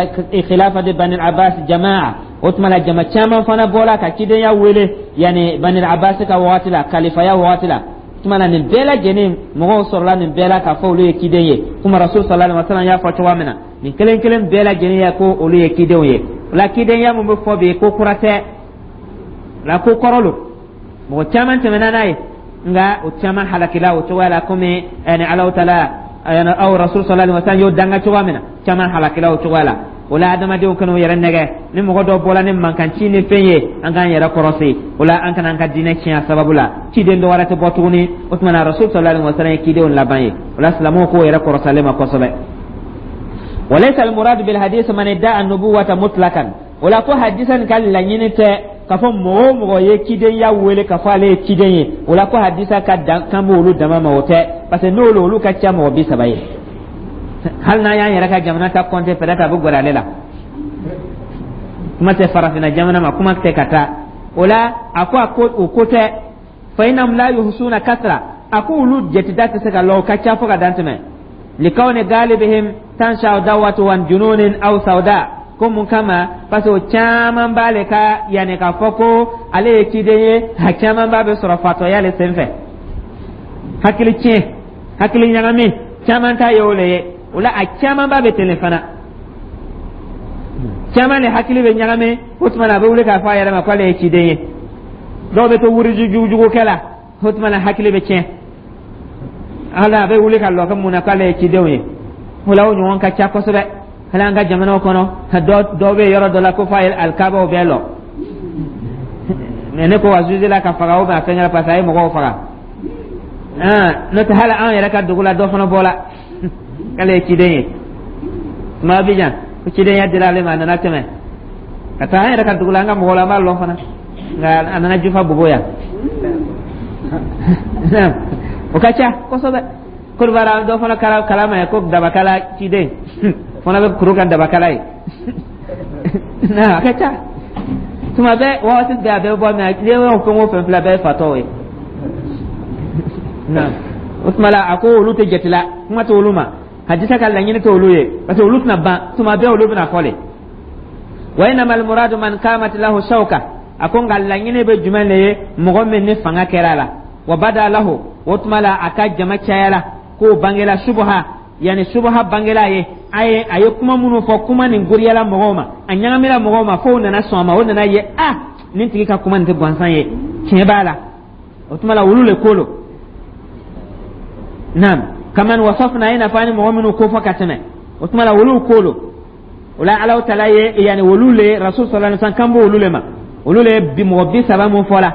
A: khilafati Bani Abbas jamaa, o tuma la jama caman fana bɔra ka cidenya wele yani Bani Abbas ka waati la, kalifaya waati la. Tuma na nin bɛɛ lajɛlen mɔgɔw sɔrɔla nin bɛɛ la k'a fɔ olu ye ciden ye, komi Rasul sallallahu alaihi wasallam y'a fɔ cogoya min na, nin kelen kelen bɛɛ lajɛlen ye ko olu ye cidenw ye. O la cidenya mun bɛ fɔ bi, ko kura tɛ la, ko kɔrɔ lo, mɔgɔ caman tɛmɛna n'a ye, nka o caman halakila o cogoya la, komi ɛni Alahu taala aw Rasul sallallahu alaihi wasallam y'o danga cogoya min na, caman halakila o cogoya la. O la adamadenw kana u yɛrɛ nɛgɛ ni mɔgɔ dɔ bɔra ni mankanci ni fɛn ye, an k'an yɛrɛ kɔrɔsi o la, an kana an ka diinɛ tiɲɛ a sababu la. Ciden dɔ wɛrɛ tɛ bɔ tuguni. O tuma na Rasul sallallahu alaihi wasallam ye cidenw laban ye. O la silamɛw k'o yɛrɛ kɔrɔsalen ma kosɛbɛ. Walaysa almuradu bil hadith man idda'a an-nubuwata mutlaqan, o la ko hadisa nin ka laɲini tɛ k'a fɔ mɔgɔ o mɔgɔ ye cidenya wele k'a fɔ ale ye ciden ye. O la ko hadisa ka dan kan b'olu dama ma, o tɛ, parce que n'olu olu ka ca mɔgɔ 30 ye. Hali n'an y'an yɛrɛ ka jamana ta compter, peut-être a bɛ gɛrɛ ale la, kuma tɛ farafinna jamana ma, kuma tɛ ka taa o la. A ko a ko o ko tɛ. Fa innahum la yuhsuna kasra, a ko olu jatida tɛ se ka lɔ, o ka ca fo ka dan tɛmɛ. Likawni galibihim tansha dawatu wan jununin aw sauda, ko mun kama? Parce que o caman b'ale ka yanni k'a fɔ ko ale ye ciden ye, a caman b'a bɛ sɔrɔ fatɔya le senfɛ, hakili tiɲɛ, hakili ɲagami, caman ta ye o le ye. O la a caman ba bɛ ten le fana, caman de hakili bɛ ɲagami, o tuma na a bɛ wuli k'a fɔ a yɛrɛ ma k'ale ye ciden ye. Dɔw bɛ to wuriji jugujugukɛ la, o tuma na hakili bɛ tiɲɛ, hali a bɛ wuli ka lɔ kɛ mun na k'ale ye cidenw ye. O la o ɲɔgɔn ka ca kosɛbɛ. Hali an ka jamanaw kɔnɔ, dɔ bɛ yɔrɔ dɔ la ko f'a ye alikabaw bɛɛ lɔ. Mais ne ko a juge la ka faga ou bien a fɛngɛ, parce que a ye mɔgɔw faga. N'o tɛ, hali an yɛrɛ ka dugu la, dɔ fana bɔra k'ale ye ciden ye. Tuma Abidjan, ko cidenya dira ale ma, a nana tɛmɛ ka taa an yɛrɛ ka dugu la, an ka mɔgɔw la, an b'a lɔn fana. Nka a nana jufa bobo yan, o ka ca kosɛbɛ. Koribara dɔ fana kala kalama ye ko dabakala ciden fana bɛ kuru kan, dabakala ye. A ka ca tuma bɛɛ, waati bɛɛ a bɛ bɔ. Mais n'i y'o fɛn o fɛn filɛ, a bɛɛ ye fatɔw ye. O tuma la, a ko olu tɛ jate la, kuma tɛ olu ma, hadisa ka laɲini tɛ olu ye, parce que olu tɛna ban, tuma bɛɛ olu bɛna fɔ le. Wa innama almuradu man qamat lahu shawka. A ko nka laɲini bɛ jumɛn de ye? Mɔgɔ min ni fanga kɛra a la, wa bada lahu, o tuma la a ka jama cayala, k'o bangela subuha, yani subuha bangela ye a ye kuma minnu fɔ, kuma nin goriyala mɔgɔw ma, a ɲagamina mɔgɔw ma, f'o nana sɔn a ma, o nana ye a nin tigi ka kuma nin tɛ gansan ye, tiɲɛ b'a la. O tuma la, olu le ko lo. Naam, kaman wasafna, i n'a fɔ an ye mɔgɔ minnu ko fɔ ka tɛmɛ. O tuma la, olu ko lo. O la, Alahu Taala ye, yani olu le, Rasul sallallahu alaihi wasallam kan b'olu le ma. Olu le bi mɔgɔ 30 mun fɔla,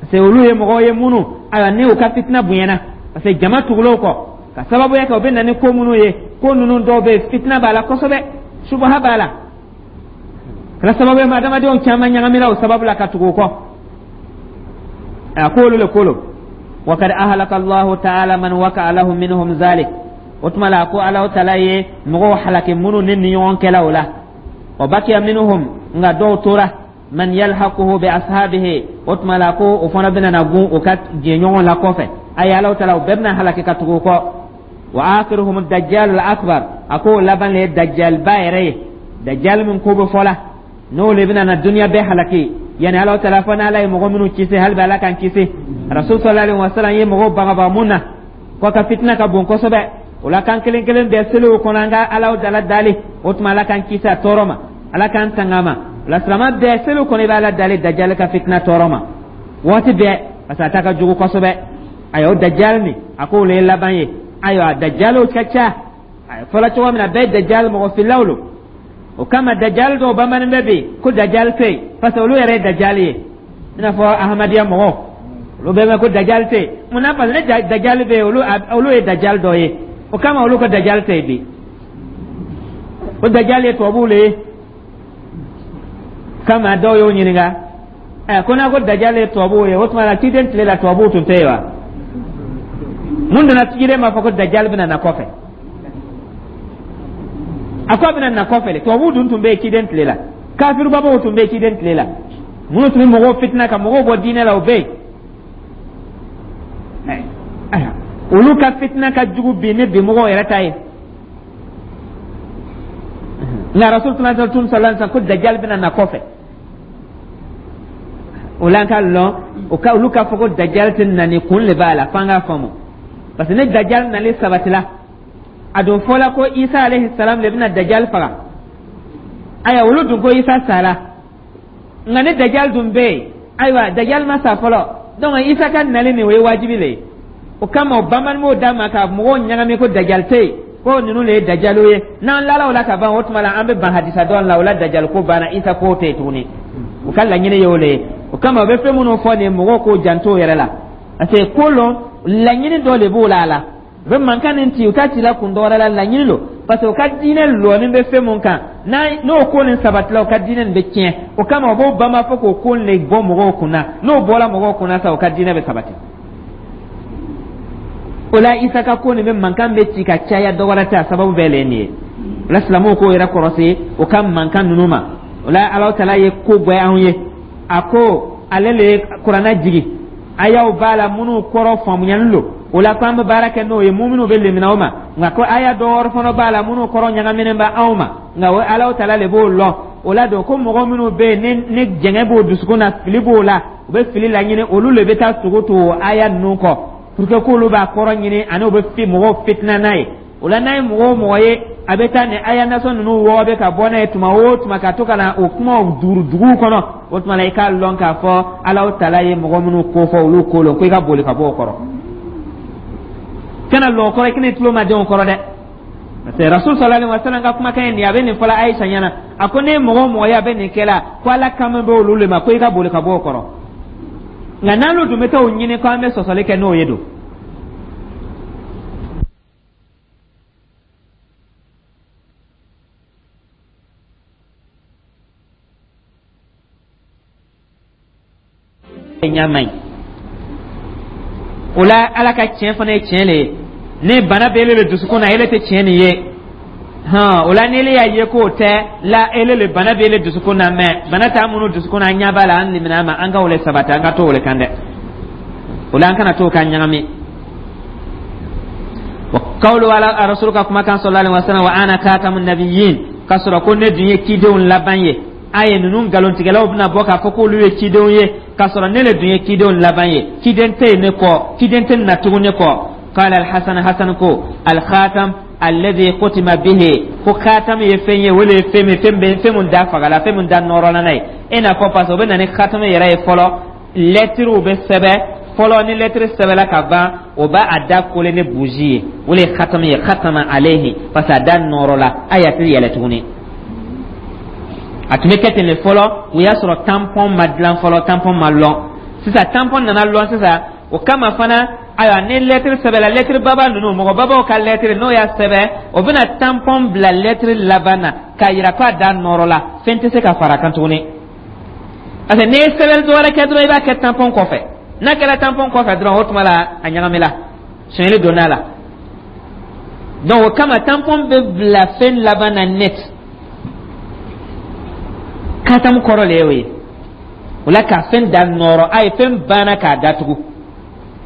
A: parce que olu ye mɔgɔw ye minnu, ayiwa, ni u ka fitina bonyana, parce que jama tugulen kɔ ka sababuya kɛ, u bɛ na ni ko minnu ye, ko ninnu dɔw bɛ yen, fitina b'a la kosɛbɛ, subaha b'a la, kɛra sababu ye ma adamadenw caman ɲagamina o sababu la ka tugu o kɔ. A ko olu le ko lo. Wakad ahlaka Allahu Taala man waka lahu minhum zalik. O tuma la, a ko Alahu Taala ye mɔgɔw halaki minnu ni ɲɔgɔn kɛla o la. Wa bakiya minhum, nka dɔw tora, man yalhaquhu bi ashabihi. O tuma la, ko o fana bɛna na gun o ka jɛɲɔgɔn la kɔfɛ. Ayi, Alahu Taala o bɛɛ bɛna halaki ka tugu o kɔ. Wa akhiruhum dajjal al akbar. A ko laban le ye dajjalba yɛrɛ ye, dajjal min ko bɛ fɔ la, n'o le bɛna na duniya bɛɛ halaki. Yani Alahu Taala fɔ n'Ala ye mɔgɔ minnu kisi, hali bi Ala k'an kisi. Rasul sallallahu alaihi wasallam ye mɔgɔw bagabaga mun na, ko ka fitina ka bon kosɛbɛ. O la, k'an kelen kelen bɛɛ seliw kɔnɔ, an ka Alahu Taala dali. O tuma, Ala k'an kisi a tɔɔrɔ ma, Ala k'an tanga ma. O la, silama bɛɛ, seliw kɔnɔ, i bɛ Ala dali dajali ka fitina tɔɔrɔ ma waati bɛɛ, parce que a ta ka jugu kosɛbɛ. Ayiwa, o dajali nin, a k'o le ye laban ye. Ayiwa, dajaliw ka ca. A fɔla cogo min na, bɛɛ ye dajali mɔgɔ fililaw lo. O kama, dajali dɔw bamanan bɛ bi ko dajali tɛ yen, parce que olu yɛrɛ ye dajali ye, i n'a fɔ Ahamadiya mɔgɔw, olu bɛɛ bɛ ko dajali tɛ yen. Mun na? Parce que ne dajali bɛ yen, olu ye dajali dɔ ye. O kama, olu ko dajali tɛ yen bi, o dajali ye tubabuw le ye. Kama dɔw y'o ɲininka ɛ, ko n'a ko dajali ye tubabuw ye, o tuma la ciden tile la, tubabuw tun tɛ yen wa? Mun donna ciden b'a fɔ ko dajali bɛna na kɔfɛ? A ko a bɛna na kɔfɛ de. Tubabuw dun tun bɛ yen ciden tile la, kafirubabaw tun bɛ yen ciden tile la, minnu tun bɛ mɔgɔw fitina ka mɔgɔw bɔ diinɛ la, o bɛ yen. Olu ka fitina ka jugu bi ni bi mɔgɔw yɛrɛ ta ye. Nka Rasul tun sallallahu alaihi wasallam ko dajali bɛna na kɔfɛ. O la, an ka lɔn o ka olu ka fɔ ko dajali tɛ na, ni kun le b'a la, f'an k'a faamu. Parce que ni dajali nali sabatila, a don fɔla ko Isa alayhi salam le bɛna dajali faga. Ayiwa, olu dun ko Isa sara, nka ni dajali dun bɛ yen, ayiwa, dajali ma sa fɔlɔ. Donc Isa ka nali nin, o ye wajibi le ye. O kama, o banbani b'o d'a ma ka mɔgɔw ɲagami ko dajali tɛ yen, ko ninnu le ye dajaliw ye. N'an lala o la ka ban, o tuma la an bɛ ban hadisa dɔn la. O la, dajali ko banna, Isa ko tɛ yen tuguni. U ka laɲini ye o le ye. O kama, u bɛ fɛn minnu fɔ nin, mɔgɔw k'o janto o yɛrɛ la, parce que ko lɔn laɲini dɔ de b'o la. A la, u bɛ mankan nin ci, u t'a ci la kun dɔ wɛrɛ la, laɲini don, parce que u ka diinɛ lɔɔni bɛ fɛn mun kan, n'o ko nin sabatila, u ka diinɛ nin bɛ tiɲɛ. O kama, u b'o banba fɔ k'o ko nin de bɔ mɔgɔw kunna. N'o bɔra mɔgɔw kunna sa, u ka diinɛ bɛ sabati. O la, Isa ka ko nin bɛ mankan bɛ ci ka caya, dɔ wɛrɛ tɛ, a sababu bɛɛ le ye nin ye. O la, silamɛw k'o yɛrɛ kɔrɔsi o ka mankan ninnu ma. O la, Alahu Taala ye ko gbɛ anw ye. A ko ale le ye kuranɛ jigi, ayaw b'a la minnu kɔrɔ faamuyali lo. O la, ko an bɛ baara kɛ n'o ye, minnu bɛ lemina o ma. Nka ko aya dɔ wɛrɛ fana b'a la minnu kɔrɔ ɲagaminen bɛ anw ma, nka o Alahu Taala le b'o lɔn. O la don ko mɔgɔ minnu bɛ yen ni jɛngɛ b'o dusukun na, fili b'o la, u bɛ fili laɲini, olu le bɛ taa tugu tugu o aya ninnu kɔ pour que k'olu b'a kɔrɔ ɲini ani u bɛ fi mɔgɔw fitina n'a ye. O la, n'a ye mɔgɔ o mɔgɔ ye a bɛ taa nin aya nasɔn ninnu wɔgɔbɛ ka bɔ n'a ye tuma o tuma, ka to ka na o kumaw duuru duguw kɔnɔ, o tuma la i k'a lɔn k'a fɔ Alahu Taala ye mɔgɔ minnu ko fɔ, olu ko lɔn, ko i ka boli ka bɔ o kɔrɔ, kana lɔ o kɔrɔ, i kana i tulo ma den o kɔrɔ dɛ. Parce que Rasul sallallahu alaihi wasallam ka kumakan ye nin ye, a bɛ nin fɔla Ayisa ɲɛna, a ko ne mɔgɔ o mɔgɔ ye a bɛ nin kɛla, ko Ala kama bɛ olu le ma, ko i ka boli ka bɔ o kɔrɔ. Nka n'olu dun bɛ taa o ɲini ko an bɛ sɔsɔli kɛ n'o ye don. Ɲa man ɲi o la. Ala ka tiɲɛ fana ye tiɲɛ le ye. Ni bana bɛ ele le dusukun na, ele tɛ tiɲɛ nin ye hɔn. O la, n'ele y'a ye k'o tɛ la, ele le bana bɛ ele dusukun na. Mɛ bana t'an minnu dusukun na, an ɲɛ b'a la, an limina ma, an ka o le sabati, an ka to o le kan dɛ. O la, an kana to ka ɲagami. Wa kawlu ala rasul ka kumakan sallallahu alaihi wasallam, wa ana khatamun nabiyyin, k'a sɔrɔ ko ne dun ye cidenw laban ye. A ye ninnu nkalontigɛlaw bɛna bɔ k'a fɔ k'olu ye cidenw ye, k'a sɔrɔ ne le dun ye cidenw laban ye, ciden tɛ yen ne kɔ, ciden tɛ na tugun ne kɔ. Qala alhasan, hasan ko alkhatam alladhi khutima bihi, ko khatam ye fɛn ye, o le ye fɛn min, fɛn bɛ fɛn mun da fagala, fɛn mun da nɔrɔla n'a ye. E n'a fɔ parce que o bɛ na ni khatam yɛrɛ ye fɔlɔ, lɛtiriw bɛ sɛbɛn fɔlɔ. Ni lɛtiri sɛbɛnla ka ban, o b'a a da kole ni buji ye, o le ye khatam ye. Khatama alayhi, parce que a da nɔrɔla, a y'a tɛ yɛlɛ tuguni. A tun bɛ kɛ ten de fɔlɔ, o y'a sɔrɔ tampon ma dilan fɔlɔ, tampon ma lɔn. Sisan tampon nana lɔn sisan, o kama fana, ayiwa, ni lɛtiri sɛbɛnla, lɛtiri baba ninnu, mɔgɔ babaw ka lɛtiri, n'o y'a sɛbɛn, o bɛna tampon bila lɛtiri laban na k'a yira k'a da nɔrɔ la, fɛn tɛ se ka fara a kan tuguni. Parce que n'i ye sɛbɛnni dɔ wɛrɛ kɛ dɔrɔn, i b'a kɛ tampon kɔfɛ. N'a kɛra tampon kɔfɛ dɔrɔn, o tuma la a ɲagamila, sonyɛli donna a la. Donc o kama tampon bɛ bila fɛn laban na net. Katamu kɔrɔ le y'o ye. O la, ka fɛn da nɔrɔ, a ye fɛn banna k'a datugu,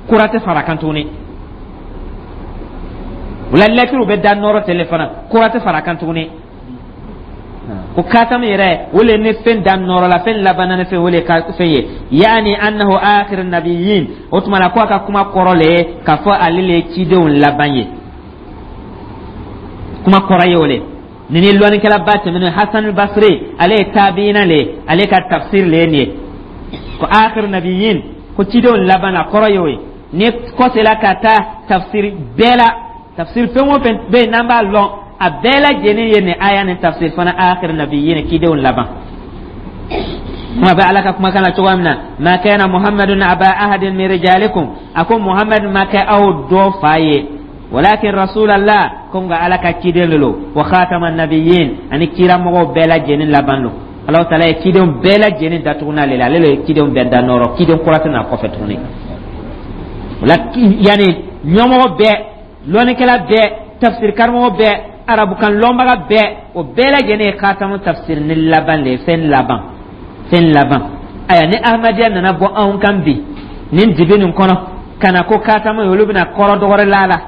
A: kura tɛ fara a kan tuguni. O la, lɛtiriw bɛ da nɔrɔ ten le fana, kura tɛ fara a kan tuguni. Ko katamu yɛrɛ, o le ni fɛn da nɔrɔ la, fɛn labanna ni fɛn, o le ka fɛn ye. Yaani annahu akhir nabiyyin, o tuma la ko a ka kuma kɔrɔ le ye k'a fɔ ale le ye cidenw laban ye. Kuma kɔrɔ ye o le. Nin ni lɔnnikɛlaba tɛmɛnen Hasan Basri, ale ye tabiina le ye, ale ka tafsir le ye nin ye, ko akhir nabiyyin, ko cidenw laban na, kɔrɔ ye o ye. Ni kɔsela ka taa tafsir bɛɛ la, tafsir fɛn o fɛn bɛ yen n'an b'a lɔn, a bɛɛ lajɛlen ye nin aya nin tafsir fana, akhir nabiyyin, cidenw laban. Kuma bɛ Ala ka kumakan na cogoya min na, ma kana Muhammadun aba ahadin min rijalikum, a ko Muhammad ma kɛ aw dɔ fa ye, walakin rasulallah, ko nka Ala ka ciden de lo, wa khatama nabiyyin, ani kiramɔgɔw bɛɛ lajɛlen laban lo. Alahu taala ye cidenw bɛɛ lajɛlen datugu n'ale la, ale le ye cidenw bɛɛ da nɔrɔ, ciden kura tɛ n'a kɔfɛ tuguni. O la, yanni ɲɛmɔgɔ bɛɛ, lɔnnikɛla bɛɛ, tafsir karamɔgɔ bɛɛ, arabukan lɔnbaga bɛɛ, o bɛɛ lajɛlen ye khatamu tafsir ni laban le ye, fɛn laban, fɛn laban. Ayiwa, ni Ahmadiyya nana bɔ anw kan bi nin dibi nin kɔnɔ ka na ko khatamu ye, olu bɛna kɔrɔ dɔgɔrɛ la la,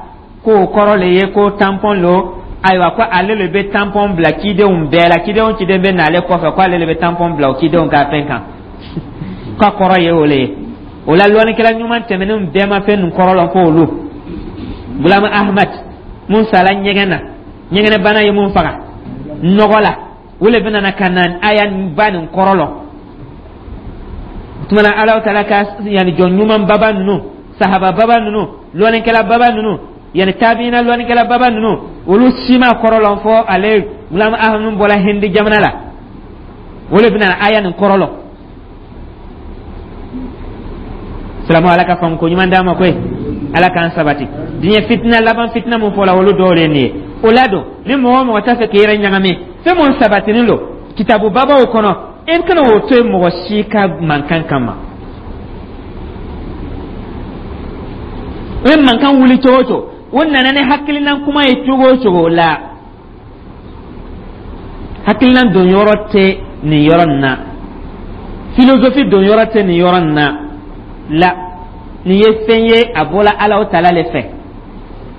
A: k'o kɔrɔ le ye ko tampon lo. Ayiwa, ko ale le bɛ tampon bila cidenw bɛɛ la, cidenw ciden bɛ n'ale kɔfɛ, ko ale le bɛ tampon bila o cidenw ka fɛn kan, k'a kɔrɔ ye o le ye. O la, lɔnnikɛla ɲuman tɛmɛnenw bɛɛ ma fɛn nin kɔrɔ lɔn fo olu. Gulamu Ahmad mun sala ɲɛgɛn na, ɲɛgɛnɛbana ye mun faga nɔgɔ la, o le bɛna na ka na aya ba nin kɔrɔ lɔn. O tuma na, Alahu taala ka yanni jɔn ɲuman baba ninnu, sahaba baba ninnu, lɔnnikɛla baba ninnu, yanni tabiina lɔnnikɛla baba ninnu, olu si ma kɔrɔ lɔn fo ale Gulamu Ahmad bɔra Hindi jamana la, o le bɛna aya nin kɔrɔ lɔn. Silamɛw, Ala ka faamu ko ɲuman d'an ma koyi, Ala k'an sabati. Diɲɛ fitina laban, fitina mun fɔla, olu dɔw de ye nin ye. O la don, ni mɔgɔ o mɔgɔ t'a fɛ k'i yɛrɛ ɲagami fɛn mun sabatinin don kitabu babaw kɔnɔ, e kana o to yen mɔgɔ si ka mankan kama. O ye mankan wuli cogo o cogo, o nana ni hakilina kuma ye cogo o cogo la, hakilina don yɔrɔ tɛ nin yɔrɔ nin na, filozofi don yɔrɔ tɛ nin yɔrɔ nin na la. Nin ye fɛn ye, a bɔla Ala taala le fɛ.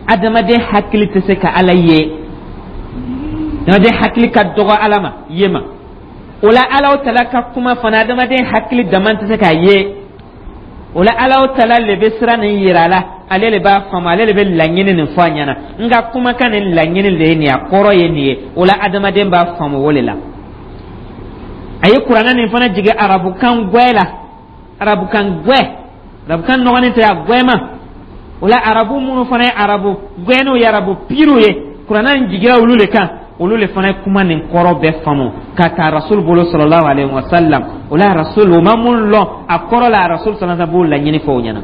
A: Adamaden hakili tɛ se ka Ala ye, adamaden hakili ka dɔgɔ Ala ma ye ma. O la, Ala taala ka kuma fana, adamaden hakili dama tɛ se k'a ye. O la, Ala taala le bɛ sira nin yira a la, ale le b'a faamu, ale le bɛ laɲini nin fɔ a ɲɛna. N ka kumakan nin laɲini de ye nin ye, a kɔrɔ ye nin ye. O la, adamaden b'a faamu o de la. A ye kuranɛ nin fana jigin arabukan gwɛ la, arabukan gwɛ, arabukan nɔgɔnin tɛ, a gwɛma. O la, arabu minnu fana ye arabu gwɛniw ye, arabu piriw ye. Kuranna in jigira olu le kan, olu le fana ye kuma nin kɔrɔ bɛɛ faamu ka taa Rasul bolo sallallahu alaihi wa sallam. O la Rasul o ma mun lɔn a kɔrɔ la, Rasul sallallahu alaihi wa sallam b'o laɲini fɔ o ɲɛna.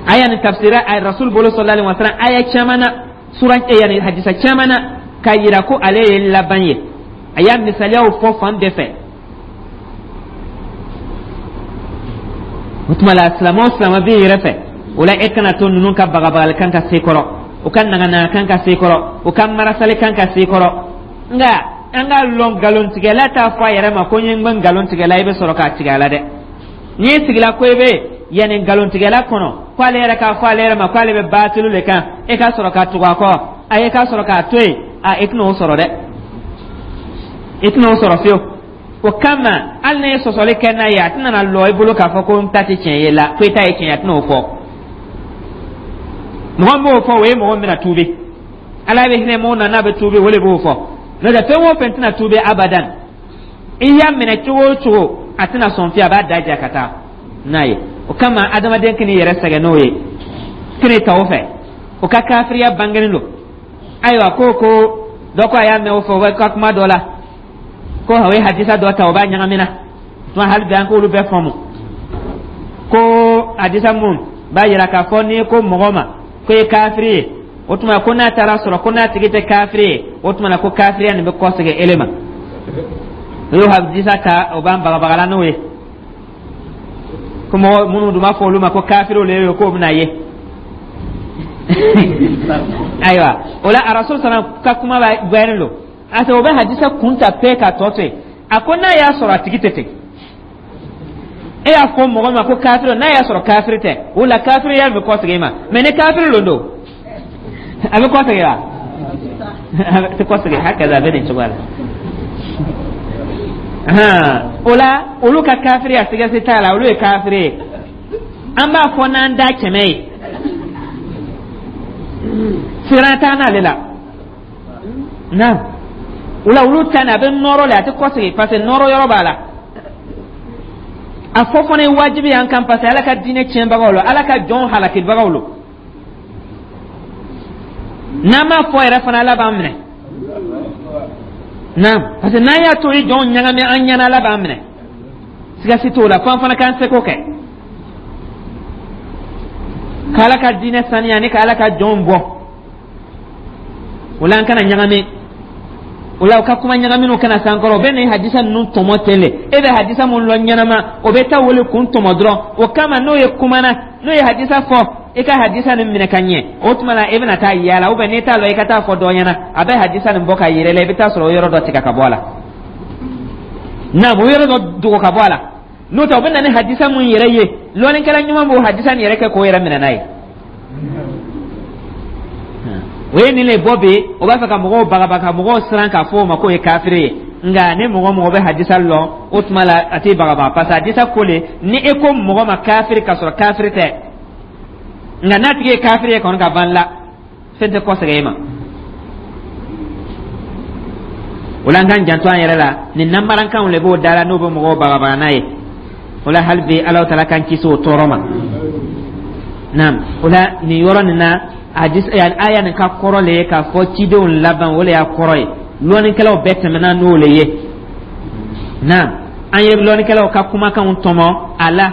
A: Aya nin tafsira a Rasul bolo sallallahu alaihi wa sallam aya caman na, sura yani hadisa caman na, k'a yira ko ale ye laban ye. A y'a misaliyaw fɔ fan bɛɛ fɛ. O tuma la, silamɛ o silamɛ b'i yɛrɛ fɛ, o la e kana to ninnu ka bagabagali kan ka se kɔrɔ, u ka naganaga kan ka se kɔrɔ, u ka marasali kan ka se kɔrɔ. Nka an k'a lɔn, nkalontigɛla t'a fɔ a yɛrɛ ma ko n ye n nkalon tigɛla, i bɛ sɔrɔ k'a tigɛ a la dɛ. N'i sigila ko i bɛ yanni nkalontigɛla kɔnɔ ko ale yɛrɛ k'a fɔ ale yɛrɛ ma ko ale bɛ baatilu le kan, e ka sɔrɔ ka tugu a kɔ, a e ka sɔrɔ k'a to yen, a e tɛna o sɔrɔ dɛ, i tɛna o sɔrɔ fiyewu. O kama, hali n'i ye sɔsɔli kɛ n'a ye, a tɛna na lɔ i bolo k'a fɔ ko n ta tɛ tiɲɛ ye la, ko i ta ye tiɲɛ ye, a tɛna o fɔ. Mɔgɔ min b'o fɔ, o ye mɔgɔ min bɛna tuubi. Ala bɛ hinɛ mɔgɔ na n'a bɛ tuubi, o de b'o fɔ. N'o tɛ, fɛn o fɛn tɛna tuubi abadan. I y'a minɛ cogo o cogo, a tɛna sɔn fiyewu, a b'a da ja ka taa n'a ye. O kama, adamaden kan'i yɛrɛ sɛgɛn n'o ye, kan'i ta o fɛ, o ka kafiriya bangenen don. Ayiwa, ko dɔ ko a y'a mɛn o fɛ, o bɛ ka kuma dɔ la ko o ye hadisa dɔ ta, o b'a ɲagamina tuma. Hali bi an k'olu bɛɛ faamu ko hadisa mun b'a yira k'a fɔ n'i ko mɔgɔ ma ko ye kafiri ye, o tuma ko n'a taara sɔrɔ ko n'a tigi tɛ kafiri ye, o tuma na ko kafiriya nin bɛ kɔsegin ele ma. O y'o hadisa ta, o b'an bagabagala n'o ye ko mɔgɔ minnu dun b'a fɔ olu ma ko kafiriw le ye, k'o bɛna ye. Ayiwa, o la Arasul sana ka kuma b'a gbɛrin don a o bɛ hadisa kun ta pɛ k'a tɔ to yen. A ko n'a y'a sɔrɔ a tigi tɛ ten, e y'a fɔ mɔgɔ ma ko kafiri, n'a y'a sɔrɔ kafiri tɛ, o la kafiriya bɛ kɔsegin i ma. Mɛ ni kafiri lon don, a bɛ kɔsegin wa? A tɛ kɔsegin. Hakaza, a bɛ nin cogoya la. O la olu ka kafiriya, sigasi t'a la, olu ye kafiri ye. An b'a fɔ n'an da 100 ye, siran t'an n'ale la. Naam, o la olu ta nin, a bɛ nɔrɔ le, a tɛ kɔsegin, parce que nɔrɔ yɔrɔ b'a la. A fɔ fana ye wajibi y'an kan, parce que Ala ka diinɛ tiɲɛbagaw lo, Ala ka jɔnw halakibagaw lo. N'an m'a fɔ yɛrɛ fana, Ala b'an minɛ. Naam, parce que n'an y'a to i jɔnw ɲagami an ɲɛna, Ala b'an minɛ, sigasi t'o la. F'an fana k'an seko kɛ k'Ala ka diinɛ saniya ni k'Ala ka jɔnw bɔ. O la an kana ɲagami. O la u ka kuma ɲagaminiw kana s'an kɔrɔ. O bɛ nin hadisa ninnu tɔmɔ ten le. E bɛ hadisa mun lɔn ɲɛnama, o bɛ taa wele kun tɔmɔ dɔrɔn. O kama, n'o ye kumana, n'o ye hadisa fɔ, i ka hadisa nin minɛ ka ɲɛ. O tuma la i bɛna taa yaala, ou bien n'i t'a lɔn, i ka taa fɔ dɔ ɲɛna, a bɛ hadisa nin bɔ ka yɛrɛ la, i bɛ taa sɔrɔ o yɔrɔ dɔ tigɛ ka bɔ a la. Naam, o yɔrɔ dɔ dogo ka bɔ a la. N'o tɛ, o bɛ na ni hadisa mun yɛrɛ ye, lɔnnikɛla ɲuman b'o hadisa nin yɛrɛ kɛ k'o yɛrɛ minɛ n'a ye. O ye nin le bɔ bi, o b'a fɛ ka mɔgɔw bagabaga, ka mɔgɔw siran k'a fɔ o ma k'o ye kafiri ye. Nka ni mɔgɔ mɔgɔ bɛ hadisa lɔn, o tuma la a t'i bagabaga, parce que hadisa ko le ni e ko mɔgɔ ma kafiri k'a sɔrɔ kafiri tɛ, nka n'a tigi ye kafiri ye kɔni ka ban la, fɛn tɛ kɔsegin e ma. O la an k'an janto an yɛrɛ la. Nin nanbarankanw le b'o da la, n'o bɛ mɔgɔw bagabaga n'a ye. O la hali bi, Ala taala k'an kisi o tɔɔrɔ ma. Naam, o la nin yɔrɔ nin na, hadis aya nin ka kɔrɔ le ye k'a fɔ cidenw laban, o le y'a kɔrɔ ye. Lɔnnikɛlaw bɛɛ tɛmɛna n'o le ye. Naam, an ye lɔnnikɛlaw ka kumakanw tɔmɔ a la,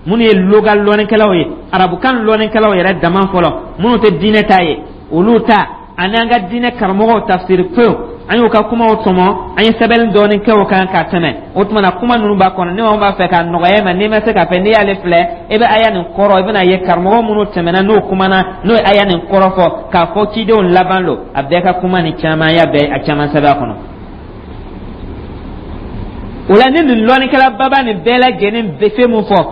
A: minnu ye loga lɔnnikɛlaw ye, arabukan lɔnnikɛlaw yɛrɛ dama fɔlɔ, minnu tɛ diinɛ ta ye, olu ta, ani an ka diinɛ karamɔgɔw tafsiri pewu, an y'u ka kumaw tɔmɔ, an ye sɛbɛnni dɔɔni kɛ o kan ka tɛmɛ. O tuma na, kuma ninnu b'a kɔnɔ. Ni maa b'a fɛ k'a nɔgɔya i ma, n'i ma se k'a fɛ, n'i y'ale filɛ, i bɛ aya nin kɔrɔ, i bɛna ye karamɔgɔ minnu tɛmɛna n'o kumana, n'o ye aya nin kɔrɔ fɔ k'a fɔ cidenw laban lo, a bɛɛ ka kuma ni caman y'a bɛɛ a caman sɛbɛn a kɔnɔ. O la ni nin lɔnnikɛla baba nin bɛɛ lajɛlen bɛ fɛn mun fɔ,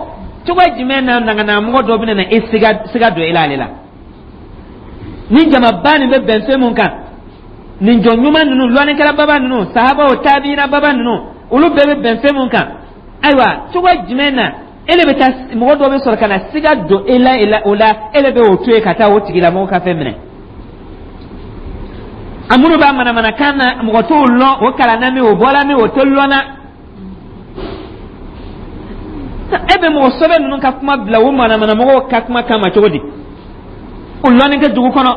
A: cogo jumɛn na naganamɔgɔ dɔ bɛna na e siga don e la ale la? Ni jamaba nin bɛ bɛn fɛn mun kan, nin jɔn ɲuman ninnu, lɔnnikɛla baba ninnu, sahabaw, tabiina baba ninnu, olu bɛɛ bɛ bɛn fɛn mun kan, ayiwa, cogo jumɛn na e de bɛ taa mɔgɔ dɔ bɛ sɔrɔ ka na siga don e la, e la o la e de bɛ o to yen ka taa o tigilamɔgɔ ka fɛn minɛ? A minnu b'a manamanakan na, mɔgɔ t'o lɔn, o kalanna min, o bɔla min, o tɛ lɔnna. E bɛ mɔgɔ sɛbɛ ninnu ka kuma bila o manamanamɔgɔw ka kuma kama cogo di? O lɔnni tɛ dugu kɔnɔ,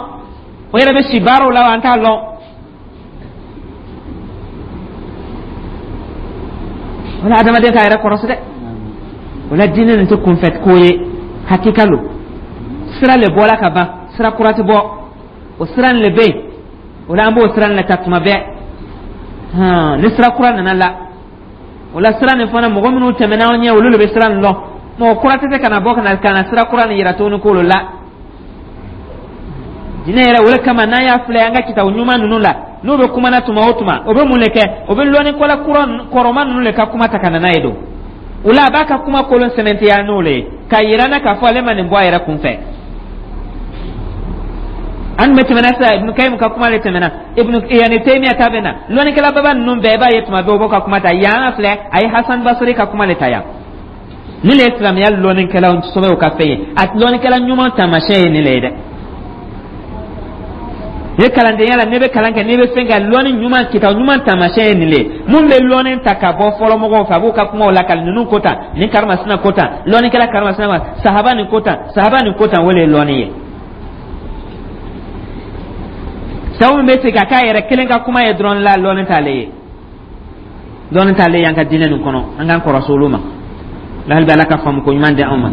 A: o yɛrɛ bɛ si baaraw la, an t'a lɔn. Wala adamaden k'a yɛrɛ kɔrɔsi dɛ. O la, diinɛ nin tɛ kunfɛ ko ye, hakika lo. Sira le bɔla ka ban, sira kura tɛ bɔ, o sira nin le bɛ yen. O la, an b'o sira nin le ta tuma bɛɛ. Ni sira kura nana la, o la sira nin fana, mɔgɔ minnu tɛmɛna an ɲɛ, olu le bɛ sira nin lɔn. Mɔgɔ kura tɛ se ka na bɔ ka na sira kura nin yira tuguni k'olu la. Diinɛ yɛrɛ, o de kama n'an y'a filɛ an ka kitabu ɲuman ninnu la, n'u bɛ kuma na tuma o tuma, o bɛ mun le kɛ? O bɛ lɔnnikɛla kura kɔrɔma ninnu le ka kuma ta ka na n'a ye don. O la, a b'a ka kuma kolon sɛmɛntiya n'o le ye, k'a yira n na k'a fɔ ale ma nin bɔ a yɛrɛ kun fɛ. An bɛ tɛmɛna sisan, Ibnu Kayim ka kuma le tɛmɛna, Ibnu yani Taymiya ta bɛ na, lɔnnikɛla baba ninnu bɛɛ, i b'a ye tuma bɛɛ u b'o ka kuma ta. Yan filɛ, a ye Hasan Basiri ka kuma le ta yan. Nin le ye silamɛya lɔnnikɛlaw sɛbɛw ka fɛn ye. A lɔnnikɛla ɲuman taamasiyɛn ye nin le ye dɛ. Ni kalandenya la, n'i bɛ kalan kɛ, n'i bɛ fɛn kɛ, lɔnni ɲuman, kitabu ɲuman taamasiyɛn ye nin le ye. Mun bɛ lɔnni ta ka bɔ fɔlɔmɔgɔw fɛ, a b'u ka kumaw lakali. Ninnu ko tan, nin karimasina ko tan, lɔnnikɛla karimasina ma, sahaba nin ko tan, sahaba nin ko tan, o de ye lɔnni ye. Sabu min bɛ se ka k'a yɛrɛ kelen ka kuma ye dɔrɔn la, lɔnni t'ale ye, lɔnni t'ale ye an ka diinɛ nin kɔnɔ. An k'an kɔrɔsi olu ma. Hali bi, Ala ka faamu ko ɲuman di anw ma.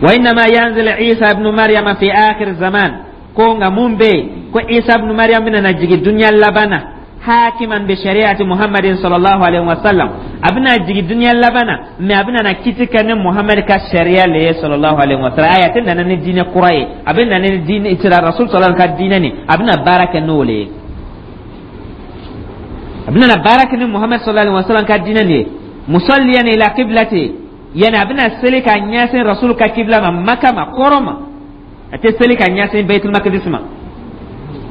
A: Wa innama yanzil Isa ibnu Maryama fi akhir zaman. Ko nka mun bɛ yen ko Isa ibnu Maryam bɛna na jigin dunuya laban na, hakiman bi shari'ati Muhammadin sallallahu alaihi wa sallam. A bɛna jigin dunuya laban na, mais a bɛna na kiti kɛ ni Muhammad ka sariya le ye sallallahu alaihi wa sallam. Ayi, a tɛ nana ni diinɛ kura ye, a bɛ nana ni diinɛ sira Rasul sallallahu ka diinɛ nin, a bɛna baara kɛ n'o le ye. A bɛna na baara kɛ ni Muhammad sallallahu alaihi wa sallam ka diinɛ nin ye. Musalliyan ila qiblati, yani a bɛna seli ka ɲɛsin Rasul ka kibla ma, Maka ma, kɔrɔ ma. A tɛ seli ka ɲɛsin Baitul Maqdis ma,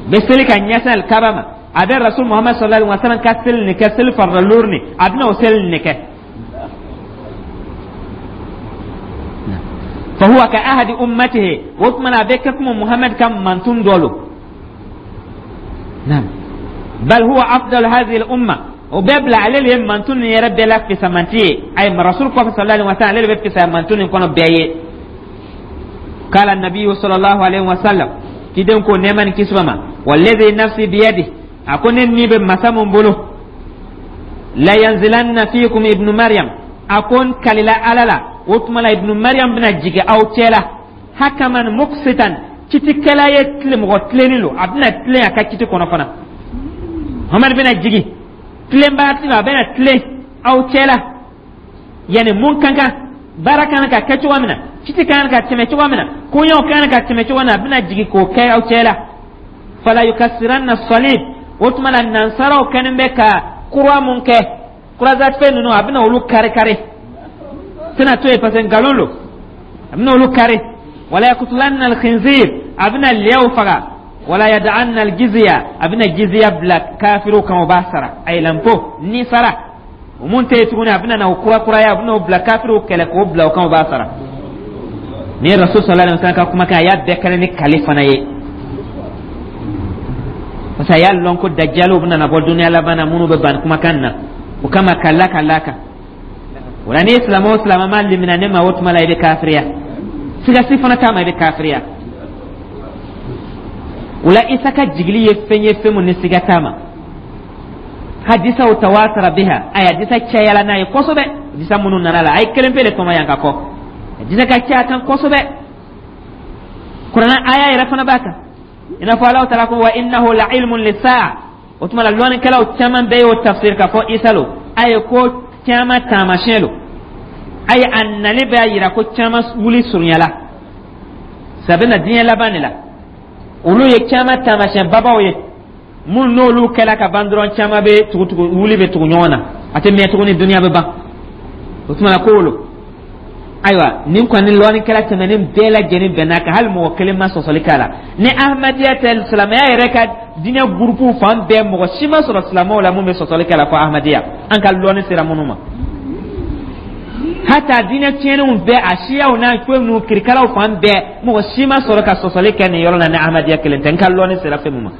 A: bɛ seli ka ɲɛsin Alikaba ma. A bɛ Rasul Muhammad sallallahu alaihi wa sallam ka seli nin kɛ, seli farida loori nin, a bɛna o seli nin kɛ. Fahuwa ka ahadi ummatihi, o tuma na a bɛ kɛ komi Muhammad ka mantun dɔ lo. Naam, bal huwa afdal hadhihi al umma, o bɛɛ bila ale le ye mantun nin yɛrɛ bɛɛ la fisamanti ye. Ayi, Rasul kɔfɛ sallallahu alaihi wa sallam, ale de bɛ fisaya mantun nin kɔnɔ bɛɛ ye. Kala nabiyu sallallahu alaihi wa sallam, kiden ko nɛɛma ni kisi b'a ma, walladhi nafsi biyadi, a ko ne ni bɛ masa mun bolo, la yanzilanna fikum ibnu Maryam. A ko n kalila Ala la, o tuma la Ibnu Maryam bɛna jigin aw cɛ la, hakaman muqsitan, kitikɛla ye, tile mɔgɔ tilennen lo, a bɛna tilen a ka kiti kɔnɔ fana. Muhammad bɛna jigin tilenbaga ti, a bɛna tilen aw cɛ la, yani mun kan kan baara kan ka kɛ cogoya min na, kiti kan ka tɛmɛ cogoya min na, koɲɛw kan ka tɛmɛ cogoya min na, a bɛna jigin k'o kɛ aw cɛ la. Fala yukassiranna salib, o tuma la nansaraw kɛlen bɛ ka croix mun kɛ, croisade fɛn ninnu, a bɛna olu kari kari, tɛna to yen parce que nkalon lo, a bɛna olu kari. Wala yakutulanna alkhinzir, a bɛna lɛw faga. Wala yad'anna aljizya, a bɛna jizya bila kafiriw kan, o b'a sara. A ye l'impôt ni sara, o mun tɛ yen tuguni, a bɛna na o kura kuraya, a bɛna o bila kafiriw kɛlɛ k'o bila o kan, o b'a sara. Nin ye Rasul sallallahu alaihi wasallam ka kumakan, a y'a bɛɛ kɛnɛ ni kale fana ye, parce que a y'a lɔn ko dajaliw bɛna na bɔ duniya laban na minnu bɛ ban kumakan na. O kama ka la ka la kan o la, n'i ye silamɛ o silamɛ ma limina ne ma, o tuma la i bɛ kafiriya, siga si fana t'a ma, i bɛ kafiriya. O la, Isa ka jigili ye fɛn ye, fɛn mun ni siga t'a ma. Hadisaw tawatara biha, a ye hadisa cayala n'a ye kosɛbɛ. Hadisa minnu nana la, a ye kelen pe de tɔmɔ yan ka kɔ, hadisa ka ca kan kosɛbɛ. Kuranɛ aya yɛrɛ fana b'a kan, i n'a fɔ Alahu taala ko wa innahu la ilmun lisaa. O tuma la, lɔnnikɛlaw caman bɛɛ y'o tafsir k'a fɔ Isa lo. A ye ko caman taamasiyɛn lo, a ye a nali bɛ a yira ko caman wuli surunyala sabu na diɲɛ laban de la. Olu ye caman taamasiyɛn babaw ye minnu n'olu kɛla ka ban dɔrɔn, caman bɛ tugu tugu, wuli bɛ tugu ɲɔgɔn na, a tɛ mɛn tuguni, duniya bɛ ban. O tuma na ko wolo, ayiwa, nin kɔni lɔnnikɛla tɛmɛnen bɛɛ lajɛlen bɛn'a kan, hali mɔgɔ kelen ma sɔsɔli k'a la. Ni Ahmadiyya tɛ, silamɛya yɛrɛ ka diinɛ gurupuw fan bɛɛ, mɔgɔ si ma sɔrɔ silamɛw la mun bɛ sɔsɔli k'a la fɔ Ahmadiyya, an ka lɔnni sera minnu ma. Hata diinɛ tiɲɛnenw bɛɛ, a siyaw n'a fɛn ninnu kirikaraw fan bɛɛ, mɔgɔ si ma sɔrɔ ka sɔsɔli kɛ nin yɔrɔ la ni Ahmadiyya kelen tɛ, n ka lɔnni sera fɛn min ma.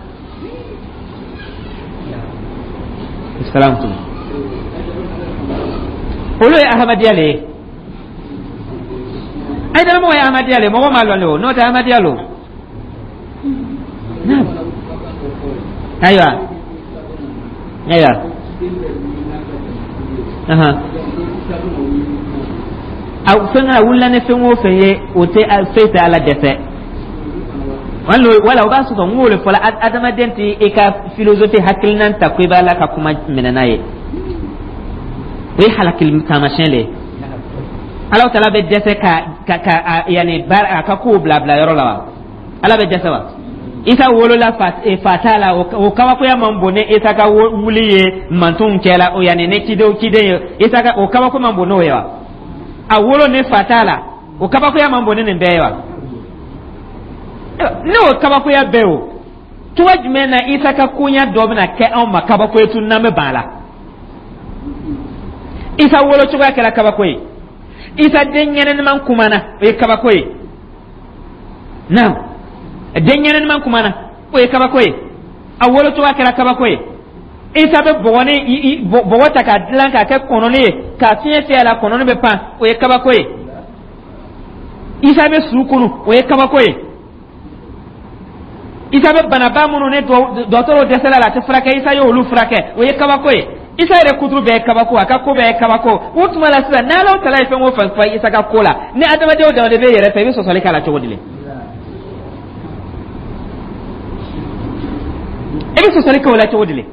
A: Salam, olu ye Ahmadiyya le ye. Ayi, dara mɔgɔ ye Ahmadiyya le, mɔgɔ m'a lɔn le o, n'o tɛ Ahmadiyya lo. Ayiwa, ayiwa, a fɛn a wulila ni fɛn o fɛn ye, o tɛ foyi tɛ Ala dɛsɛ. Wala o b'a sɔrɔ n k'o de fɔla, adamaden tɛ i ka philosophie hakilinan ta ko i b'a la ka kuma minɛ n'a ye, o ye halakili taamasiyɛn de ye. Ala tala bɛ dɛsɛ ka yanni baara a ka kow bila yɔrɔ la wa? Ala bɛ dɛsɛ wa? Isa wolola fa t'a la, o kabakoya man bon ni Isa ka wuli ye mantonw cɛla o, yanni ni ciden ye. Isa ka o kabako man bon n'o ye wa? A wolo ni fa t'a la, o kabakoya man bon ni nin bɛɛ ye wa? N'o kabakoya bɛɛ o, cogo jumɛn na Isa ka koɲa dɔ bɛna kɛ anw ma kabako ye tun n'an bɛ ban a la? Isa wolo cogoya kɛra kabako ye, Isa den ɲɛnɛman kumana, o ye kabako ye. Naam, den ɲɛnɛman kumana, o ye kabako ye. A wolo cogoya kɛra kabako ye. Isa bɛ bɔgɔni bɔgɔ ta k'a dilan k'a kɛ kɔnɔni ye, k'a fiɲɛ fiyɛ a la, kɔnɔni bɛ pan, o ye kabako ye. Isa bɛ su kunu, o ye kabako ye. Isa bɛ banaba minnu ni dɔgɔtɔrɔw dɛsɛla la, a tɛ furakɛ, Isa y'olu furakɛ, o ye kabako ye. Isa yɛrɛ kuturu bɛɛ ye kabako, a ka ko bɛɛ ye kabako. O tuma la sisan, n'Ala tala ye fɛn o fɛn fɔ Isa ka ko la, ni adamadenw dama de bɛ yɛrɛ fɛ, i bɛ sɔsɔli k'a la cogo di le? I bɛ sɔsɔli kɛ o la cogo di le?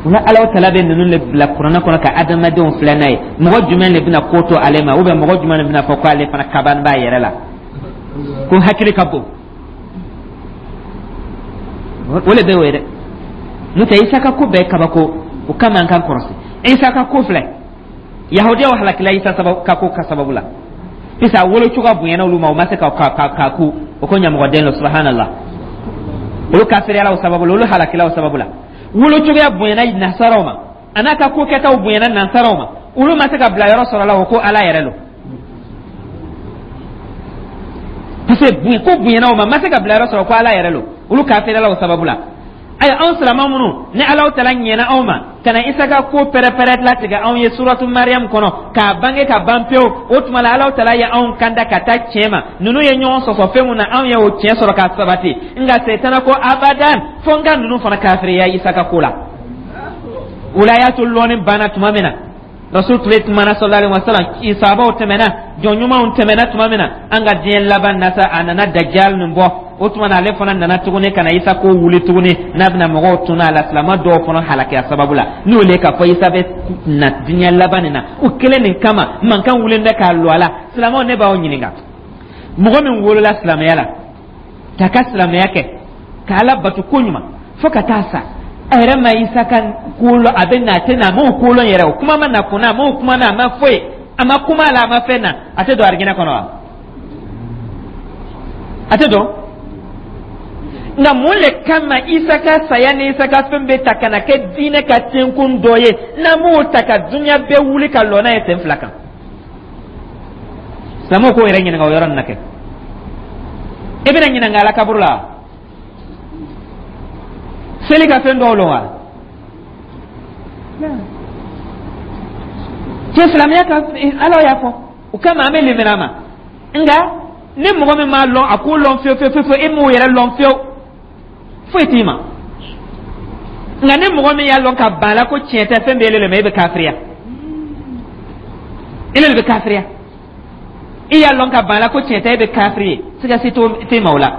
A: O la Ala tala bɛ ninnu de bila kuranɛ kɔnɔ ka adamadenw filɛ n'a ye. Mɔgɔ jumɛn de bɛna ko to ale ma, ou bien mɔgɔ jumɛn de bɛna fɔ ko ale fana kaban b'a yɛrɛ la, ko hakili ka bon? O le bɛ o ye dɛ. N'o tɛ, Isa ka ko bɛɛ kabako, o kama an k'an kɔlɔsi. Isa ka ko filɛ, yahudiyaw halakila Isa sababu ka ko ka sababu la, puisque a wolo cogoya bonyana olu ma, o ma se ka ku o ko ɲamɔgɔden lo. Subhanallah, olu kafiriyala o sababu la, olu halakila o sababu la. Wolo cogoya bonyana nasaraw ma, a n'a ka ko kɛtaw bonyana nasaraw ma, olu ma se ka bila yɔrɔ sɔrɔ la, o ko Ala yɛrɛ lo, parce que ko bonyana o ma, ma se ka bila yɔrɔ sɔrɔ ko Ala yɛrɛ lo, olu kafiriyala o sababu la. Ayi, anw silama minnu ni Ala tala ɲɛna anw ma ka na Isa ka ko pɛrɛpɛrɛ latigɛ anw ye suratu Mariam kɔnɔ k'a bange ka ban pewu, o tuma la Ala tala ye anw kanda ka taa tiɲɛ ma. Ninnu ye ɲɔgɔn sɔsɔ fɛn mun na, anw ye o tiɲɛ sɔrɔ k'a sabati. Nka setana ko abadan, fo n ka ninnu fana kafiriya Isa ka ko la. O la y'a to lɔnni banna tuma min na, Rasul tile tuma na, sallallahu alaihi wasallam, sahabaw tɛmɛna, jɔn ɲumanw tɛmɛna tuma min na, an ka diɲɛ laban na sa, a nana Dajjal nin bɔ. O tuma na ale fana nana tuguni ka na Isa ko wuli tuguni, n'a bɛna mɔgɔw tunu a la, silama dɔw fana halakiya sababu la. N'o le k'a fɔ Isa bɛ na diɲɛ laban nin na, o kelen nin kama mankan wulilen bɛ k'a lɔ a la. Silamaw, ne b'aw ɲininka, mɔgɔ min wolola silamɛya la k'a ka silamɛya kɛ, ka Ala bato ko ɲuman fo ka taa sa, a yɛrɛ ma Isa ka ko lɔn, a bɛ na a tɛ na, a m'o ko lɔn yɛrɛ, o kuma ma na kunna, a m'o kuma na, a ma foyi, a ma kuma a la, a ma fɛn na, a tɛ don arijinɛ kɔnɔ wa? A tɛ don. Nka mun le kama Isa ka saya ni Isa ka fɛn bɛ ta ka na kɛ diinɛ ka tenkun dɔ ye, n'an m'o ta ka dunuya bɛɛ wuli ka lɔ n'a ye sen fila kan? Silamɛw k'o yɛrɛ ɲininka o yɔrɔ nin na kɛ. E bɛna ɲininka a la kaburu la, seli ka fɛn dɔw lɔn wa? Cɛ, silamɛya ka Ala y'a fɔ, o kama an bɛ limina ma. Nka ni mɔgɔ min m'a lɔn, a k'o lɔn fiyewu fiyewu fiyewu, e m'o yɛrɛ lɔn fiyewu, foyi t'i ma. Nka ni mɔgɔ min y'a lɔn ka ban a la ko tiɲɛ tɛ, fɛn bɛ e le ma, e bɛ kafiriya, e le bɛ kafiriya. I y'a lɔn ka ban a la ko tiɲɛ tɛ, e bɛ kafiri ye, siga si t'e ma o la.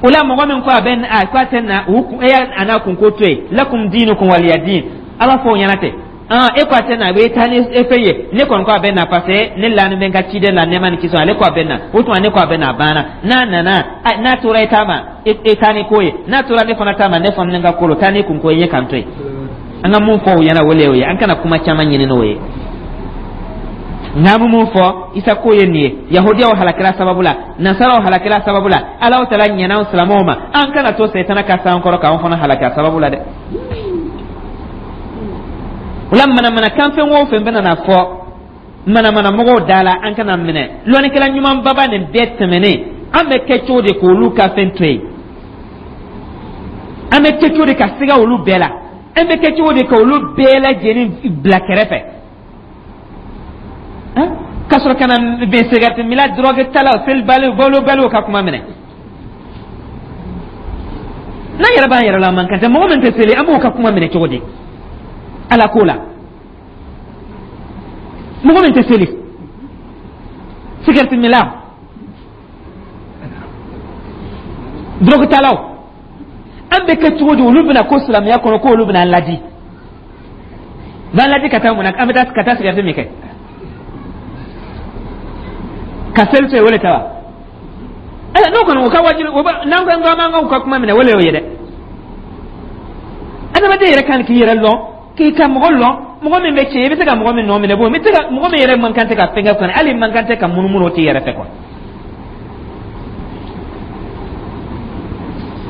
A: O la mɔgɔ min ko a bɛ a ko a tɛ na, u e y'a a n'a kun ko to yen, lakum diinukum waliya diin, ala fɔ o ɲɛna ten. E ko a tɛ na, a bɛ taa ni e fɛn ye, ne kɔni ko a bɛ na, parce que ne lanin bɛ n ka ciden la, nɛɛma ni kisi, ale ko a bɛ na, o tuma ne ko a bɛ na, a banna. N'a nana, n'a tora e ta ma, e taa ni ko ye, n'a tora ne fana ta ma, ne fana ni n ka ko lo, taa ni kun ko ye, n ye k'an to yen. An ka mun fɔ o ɲɛna, o le y'o ye, an kana kuma caman ɲini n'o ye. Nka an bɛ mun fɔ Isa ko ye nin ye, yahudiyaw halakila sababu la, nasaraw halakila sababu la, Ala tala ɲɛna anw silamɛw ma, an kana to setana ka s'an kɔrɔ k'anw fana halaki a sababu la dɛ. O la manamanakan fɛn o fɛn bɛna na fɔ manamana mɔgɔw da la, an kana minɛ. Lɔnnikɛla ɲuman baba nin bɛɛ tɛmɛnen, an bɛ kɛ cogo di k'olu ka fɛn to yen? An bɛ kɛ cogo di ka siga olu bɛɛ la? An bɛ kɛ cogo di ka olu bɛɛ lajɛlen bila kɛrɛfɛ? Ka sɔrɔ ka na bɛn sigarɛti minna, drogue talaw, selibaliw, balobaliw ka kuma minɛ. N'an yɛrɛ b'an yɛrɛ la, man kan tɛ. Mɔgɔ min tɛ seli, an b'o ka kuma minɛ cogo di Ala ko la? Mɔgɔ min tɛ seli, sigarɛti minna, drogue talaw, an bɛ kɛ cogo di? Olu bɛna ko silamɛya kɔnɔ ko olu bɛna an ladi, b'an ladi ka taa mun na? An bɛ taa ka taa sigarɛti min kɛ, ka seli to yen, o le ta wa? Ayi, n'o kɔni o ka wajibi, o ba n'an ko k'an b'an ka kuma minɛ, o le y'o ye dɛ. Adamaden yɛrɛ kan k'i yɛrɛ lɔn, k'i ka mɔgɔ lɔn. Mɔgɔ min bɛ tiɲɛ, i bɛ se ka mɔgɔ min nɔ minɛ, bon, i bɛ se ka mɔgɔ min yɛrɛ man kan tɛ ka fɛn kɛ kɔni, hali man kan tɛ ka munumunu, o t'i yɛrɛ fɛ quoi.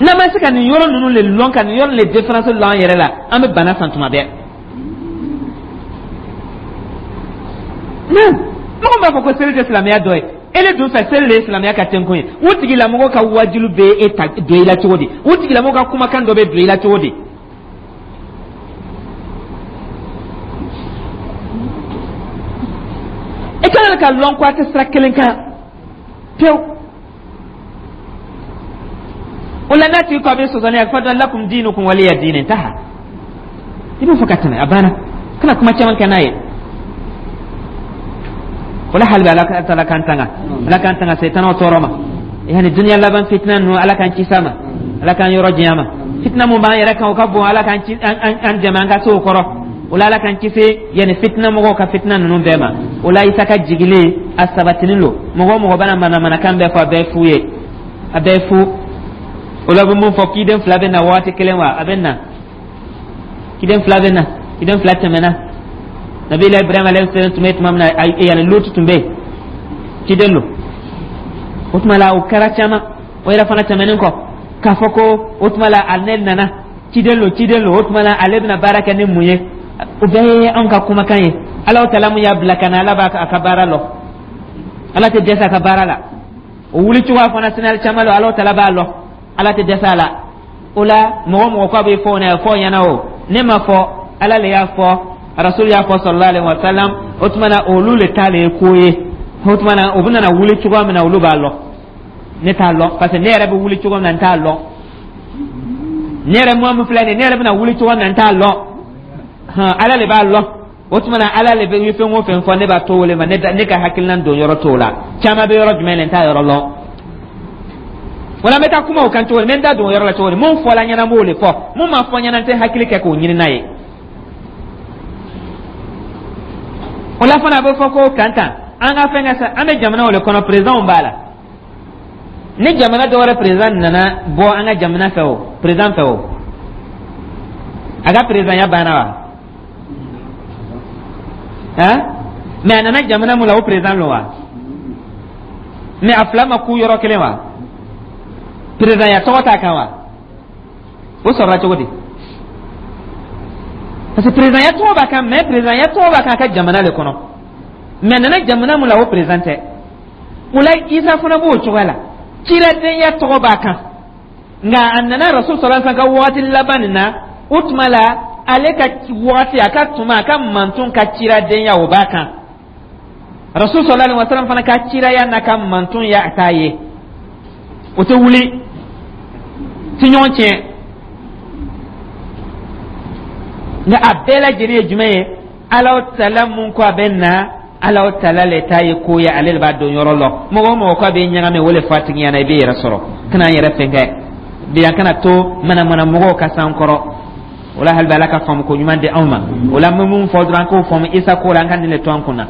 A: N'an ma se ka nin yɔrɔ ninnu le lɔn, ka nin yɔrɔ le différence lɔn an yɛrɛ la, an bɛ bana san tuma bɛɛ. Mɔgɔ b'a fɔ ko seli tɛ silamɛya dɔ ye, ele dun fɛ seli de ye silamɛya ka tɛnkun ye. O tigilamɔgɔ ka wajilu bɛ e ta don i la cogo di? O tigilamɔgɔ ka kumakan dɔ bɛ don i la cogo di? E kan ka lɔn ko a tɛ sira kelen kan pewu. O la, n'a tigi ko a bɛ sɔsɔ ne ye, fɔ dɔn lakum dinukum waliya diin, intaha. I b'o fɔ ka tɛmɛ, a banna, kana kuma caman kɛ n'a ye. O la, hali bi Ala taala k'an tanga, Ala k'an tanga setanaw tɔɔrɔ ma, yani duniya laban fitina ninnu, Ala k'an kisi a ma, Ala k'an yɔrɔ janya ma. Fitina mun b'an yɛrɛ kan, o ka bon, Ala k'an an dɛmɛ an ka se o kɔrɔ. O la, Ala k'an kisi yani fitina mɔgɔw ka fitina ninnu bɛɛ ma. O la, Isa ka jigili a sabatinin lo. Mɔgɔ o mɔgɔ bɛna manamanakan bɛɛ fɔ, a bɛɛ fu ye, a bɛɛ fu. O la, bɛ mun fɔ? Kiden fila bɛ na waati kelen wa? A bɛ na, kiden fila bɛ na, kiden fila tɛmɛna. Nabila Ibrahim alayhi salam tun bɛ tuma min na, yani Lutu tun bɛ yen, ciden lo. O tuma la, o kɛra caman. O yɛrɛ fana tɛmɛnen kɔ, k'a fɔ ko o tuma la ale nana, ciden lo, ciden lo. O tuma la, ale bɛna baara kɛ ni mun ye? O bɛɛ ye anw ka kumakan ye. Ala taala mun y'a bila ka na, Ala b'a a ka baara lɔ, Ala tɛ dɛsɛ a ka baara la. O wuli cogoya fana sinali caman lo, Ala taala b'a lɔ, Ala tɛ dɛsɛ a la. O la, mɔgɔ mɔgɔ ko a bɛ fɔ o ɲɛna, fɔ ɲɛna o ne ma fɔ, Ala le y'a fɔ, Rasul y'a fɔ sallallahu alaihi wa sallam. O tuma na, olu le ta le ye ko ye. O tuma na, u bɛna wuli cogoya min na, olu b'a lɔn, ne t'a lɔn, parce que ne yɛrɛ bɛ wuli cogo min na, n t'a lɔn. Ne yɛrɛ mɔgɔ min filɛ nin ye, ne yɛrɛ bɛna wuli cogo min na, n t'a lɔn. Ala le b'a lɔn. O tuma na, Ala le bɛ fɛn o fɛn fɔ, ne b'a to o le ma. Ne ka hakilina don yɔrɔ t'o la. Caman bɛ yɔrɔ jumɛn na, n t'a yɔrɔ lɔn. Wala n bɛ taa kuma o kan cogo di? N bɛ n da don o yɔrɔ la cogo di? Mun fɔla ɲɛna, n b'o de fɔ. Mun ma fɔ ɲɛna, n tɛ hakili kɛ k'o ɲini n'a ye. O la fana, a bɛ fɔ ko kan tan, an ka fɛn ka sa, an bɛ jamana o de kɔnɔ, président b'a la. Ni jamana dɔ wɛrɛ président nana bɔ an ka jamana fɛ, o président fɛ, o a ka présidentya banna wa? Han, mais a nana jamana mun la, o président lo wa? Mais a fila ma ku yɔrɔ kelen wa? Présidentya tɔgɔ t'a kan wa? O sɔrɔla cogo di? Parce que présidentya tɔgɔ b'a kan, mais présidentya tɔgɔ b'a kan a ka jamana le kɔnɔ, mais a nana jamana mun la, o président tɛ. O la, Isa fana b'o cogoya la, ciladenya tɔgɔ b'a kan, nka a nana Rasul sallallahu alaihi wasallam ka wagati laban nin na. O tuma la, ale ka wagati, a ka tuma, a ka mantun ka ciladenya, o b'a kan. Rasul sallallahu alaihi wasallam fana ka ciraya n'a ka mantun ya a t'a ye, o tɛ wuli ti ɲɔgɔn tiɲɛ. Nka a bɛɛ lajɛlen ye jumɛn ye? Ala taala mun ko a bɛ na, Ala taala le ta ye ko ye, ale de b'a dɔn yɔrɔ lɔ. Mɔgɔ o mɔgɔ ko a bɛ ɲagami, o le fɔ a tigi ɲɛna, i b'i yɛrɛ sɔrɔ. Kana an yɛrɛ fɛn kɛ bi, an kana to manamana mɔgɔw ka s'an kɔrɔ. O la, hali bi, Ala ka faamu ko ɲuman di anw ma. O la, n bɛ mun fɔ dɔrɔn, an k'o faamu Isa ko la, an ka nin de to an kun na.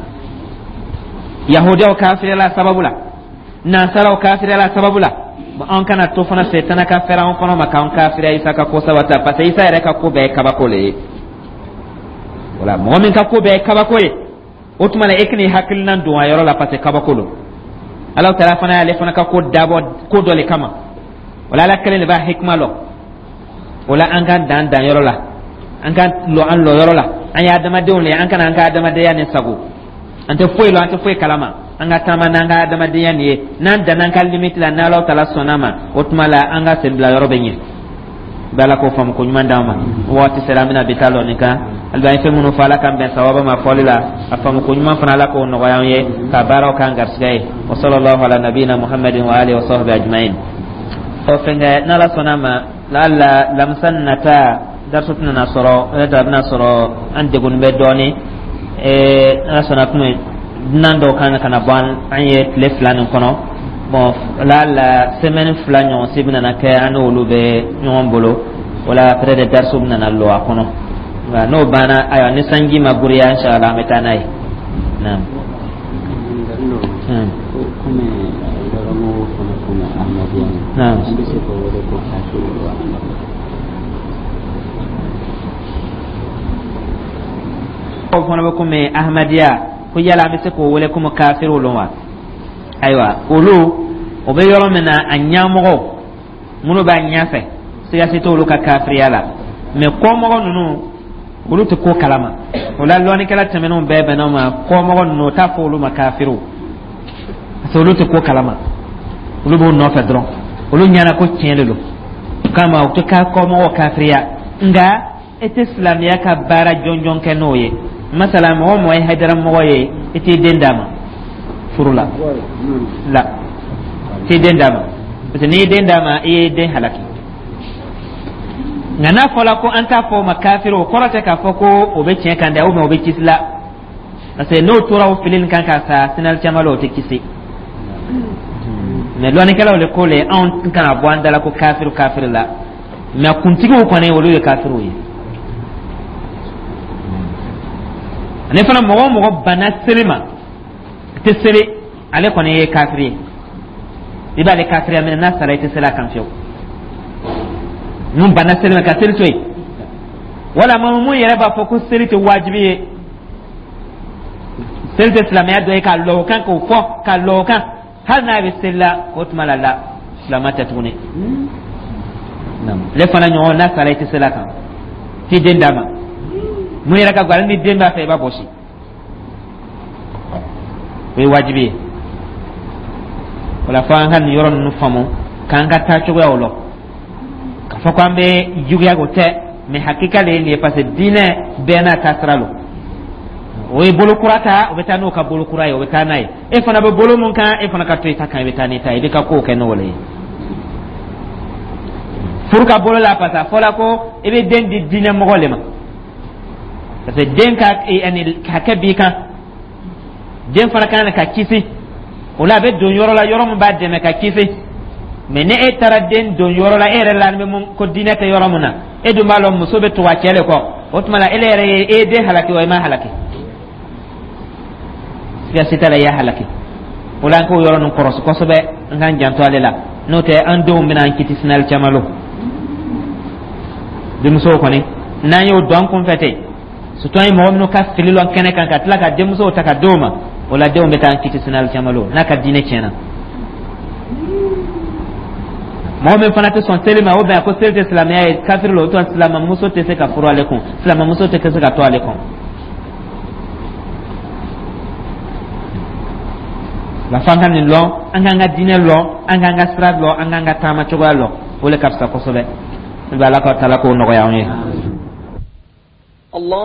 A: Yahudiyaw kafiriyala sababu la, nansaraw kafiriyala sababu la, an kana to fana setana ka fɛrɛ an kɔnɔ ma k'an kafiriya Isa ka ko sabata, parce que Isa yɛrɛ ka ko bɛɛ ye kabako le ye. Wala mɔgɔ min ka ko bɛɛ ye kabako ye, o tuma na e kan'i hakilina don a yɔrɔ la, parce que kabako don. Ala taala fana y'ale fana ka ko dabɔ ko dɔ le kama. Wala Ala kelen de b'a hikima lɔ. O la, an k'an dan dan yɔrɔ la, an k'an lɔ an lɔ yɔrɔ la. An ye adamadenw le ye, an kana an ka adamadenya ni sago. An tɛ foyi lɔn, an tɛ foyi kalama. An ka taama n'an ka adamadenya nin ye, n'an danna an ka limite la, n'Ala taala sɔnna ma, o tuma la an ka sen bila yɔrɔ bɛ ɲɛ. Bɛ Ala k'o faamu ko ɲuman d'an ma. Waati sera, an bɛna bi ta lɔ nin kan. Hali an ye fɛn minnu fɔ, Ala k'an bɛn sawaba ma fɔli la. A faamu ko ɲuman fana, Ala k'o nɔgɔya an ye ka baaraw k'an garisɛgɛ ye. Wa sallallahu ala nabiyina Muhammadin wa alihi wa sahbihi ajma'in. O fɛnkɛ, n'Ala sɔnna ma, laala lamisa nata dariso tɛna sɔrɔ, peut-être a bɛna sɔrɔ an degunni bɛ dɔɔnin. N'Ala sɔnna, kuma dunan dɔw kan ka na bɔ an ye tile 2 nin kɔnɔ. Bon, laala semaine 2 ɲɔgɔn si bɛna kɛ an n'olu bɛ ɲɔgɔn bolo. O la, peut-être dariso bɛna lɔ a kɔnɔ, nka n'o banna, ayiwa, ni sanji ma giriya, inshallah an bɛ taa n'a ye. Naam.
B: Komi yɔrɔmɔgɔw fana komi Ahmadiyya, an bɛ se k'o wele ko kafiri wa?
A: O fana bɛ komi Ahmadiyya, ko yala an bɛ se k'o wele komi kafiriw lon wa? Ayiwa, olu o bɛ yɔrɔ min na, a ɲɛmɔgɔw minnu b'a ɲɛfɛ, siga si t'olu ka kafiriya la. Mɛ kɔmɔgɔ ninnu, olu tɛ ko kalama. O la, lɔnnikɛla tɛmɛnenw bɛɛ bɛnna o ma, kɔmɔgɔ ninnu, o t'a fɔ olu ma kafiriw, parce que olu tɛ ko kalama, olu b'o nɔfɛ dɔrɔn, olu ɲɛna ko tiɲɛ de don. O kama, u tɛ ka kɔmɔgɔw kafiriya, nka e tɛ silamɛya ka baara jɔnjɔn kɛ n'o ye. Masala, mɔgɔ mɔgɔ ye hayidara mɔgɔ ye, i t'i den d'a ma furu la, la t'i den d'a ma, parce que n'i ye den d'a ma, i ye den halaki. Nka n'a fɔra ko an t'a fɔ o ma kafiri, o kɔrɔ tɛ k'a fɔ ko o bɛ tiɲɛ kan dɛ, ou bien o bɛ kisi la, parce que n'o tora o fili nin kan ka sa sinali caman la, o tɛ kisi. Mɛ lɔnnikɛlaw de ko le anw kana bɔ an da la ko kafiri kafiri la, mɛ kuntigiw kɔni, olu ye kafiriw ye. Ani fana, mɔgɔ o mɔgɔ banna seli ma, tɛ seli, ale kɔni ye kafiri ye, i b'ale kafiriya minɛ. N'a sara, i tɛ seli a kan fiyewu. Mun banna seli ma ka seli to yen, wala maa mun yɛrɛ b'a fɔ ko seli tɛ wajibi ye, seli tɛ silamɛya dɔ ye, k'a lɔ o kan, k'o fɔ k'a lɔ o kan, hali n'a bɛ seli la, o tuma la la silamɛ tɛ tuguni. Ale fana ɲɔgɔn, n'a sara, i tɛ seli a kan, t'i den d'a ma. Mun yɛrɛ ka gɛlɛn, ni den b'a fɛ, i b'a bɔsi, o ye wajibi ye. O la, fo an ka nin yɔrɔ ninnu faamu, k'an ka taa cogoyaw lɔn, k'a fɔ k'an bɛ juguya, o tɛ, mɛ hakika de ye nin ye, parce que diinɛ bɛɛ n'a ta sira lo. O ye bolo kura ta, o bɛ taa n'o ka bolo kura ye, o bɛ taa n'a ye. E fana bɛ bolo mun kan, e fana ka to i ta kan, i bɛ taa n'i ta ye, i bɛ ka kow kɛ n'o le ye. Furu ka bolo la, parce que a fɔra ko i bɛ den di diinɛ mɔgɔ le ma, parce que den ka ani hakɛ b'i kan, den fana kan ka kisi. O la, a bɛ don yɔrɔ la, yɔrɔ min b'a dɛmɛ ka kisi. Mɛ ni e taara den don yɔrɔ la, e yɛrɛ la bɛ mun ko diinɛ tɛ yɔrɔ min na, e dun b'a lɔn muso bɛ tugu a cɛ de kɔ, o tuma la e yɛrɛ ye e ye den halaki wa, i ma halaki? Siga si t'a la, i y'a halaki. O la, an k'o yɔrɔ ninnu kɔrɔsi kosɛbɛ, an k'an janto ale la, n'o tɛ an denw bɛna an kiti sinali caman lo. Denmusow kɔni, n'an y'o dɔn an kunfɛ ten, surtout an ye mɔgɔ minnu ka fili lɔn kɛnɛ kan, ka tila ka denmusow ta ka d'o ma, o la denw bɛ taa an kiti sinali caman lo n'a ka diinɛ tiɲɛna. Mɔgɔ min fana tɛ sɔn seli ma, o bɛn ko seli tɛ silamɛya ye, kafiri la, o tuma silamɛmuso tɛ se ka furu ale kun, silamɛmuso tɛ se ka to ale kun. La f'an ka nin lɔn, an k'an ka diinɛ lɔn, an k'an ka sira lɔn, an k'an ka taama cogoya lɔn, o le ka fisa kosɛbɛ. I bɛ Ala ka taala k'o nɔgɔya anw ye.
C: Allahu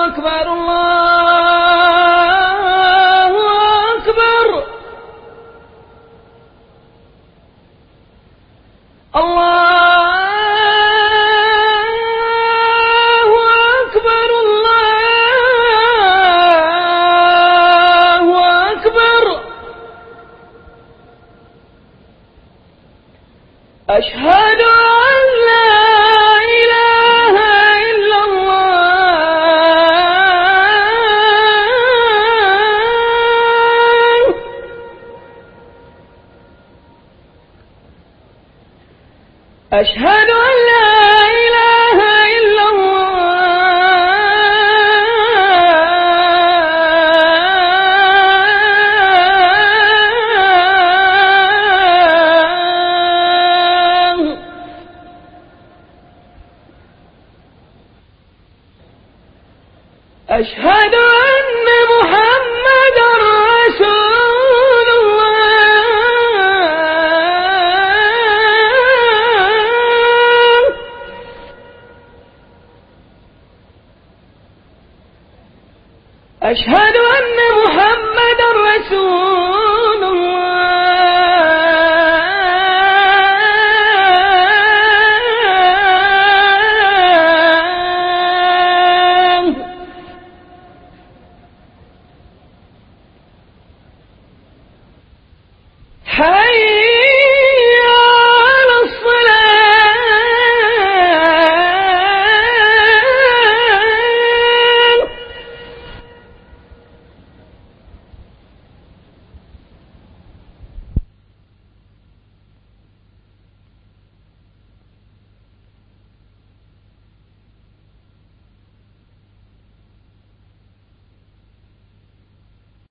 C: akbar, Allahu akbar, Allahu akbar, Allahu akbar. أشهد أن لا إله إلا الله. أشهد أن لا إله إلا الله. أشهد أن محمدا رسول الله. أشهد أن محمدا رسول الله. حي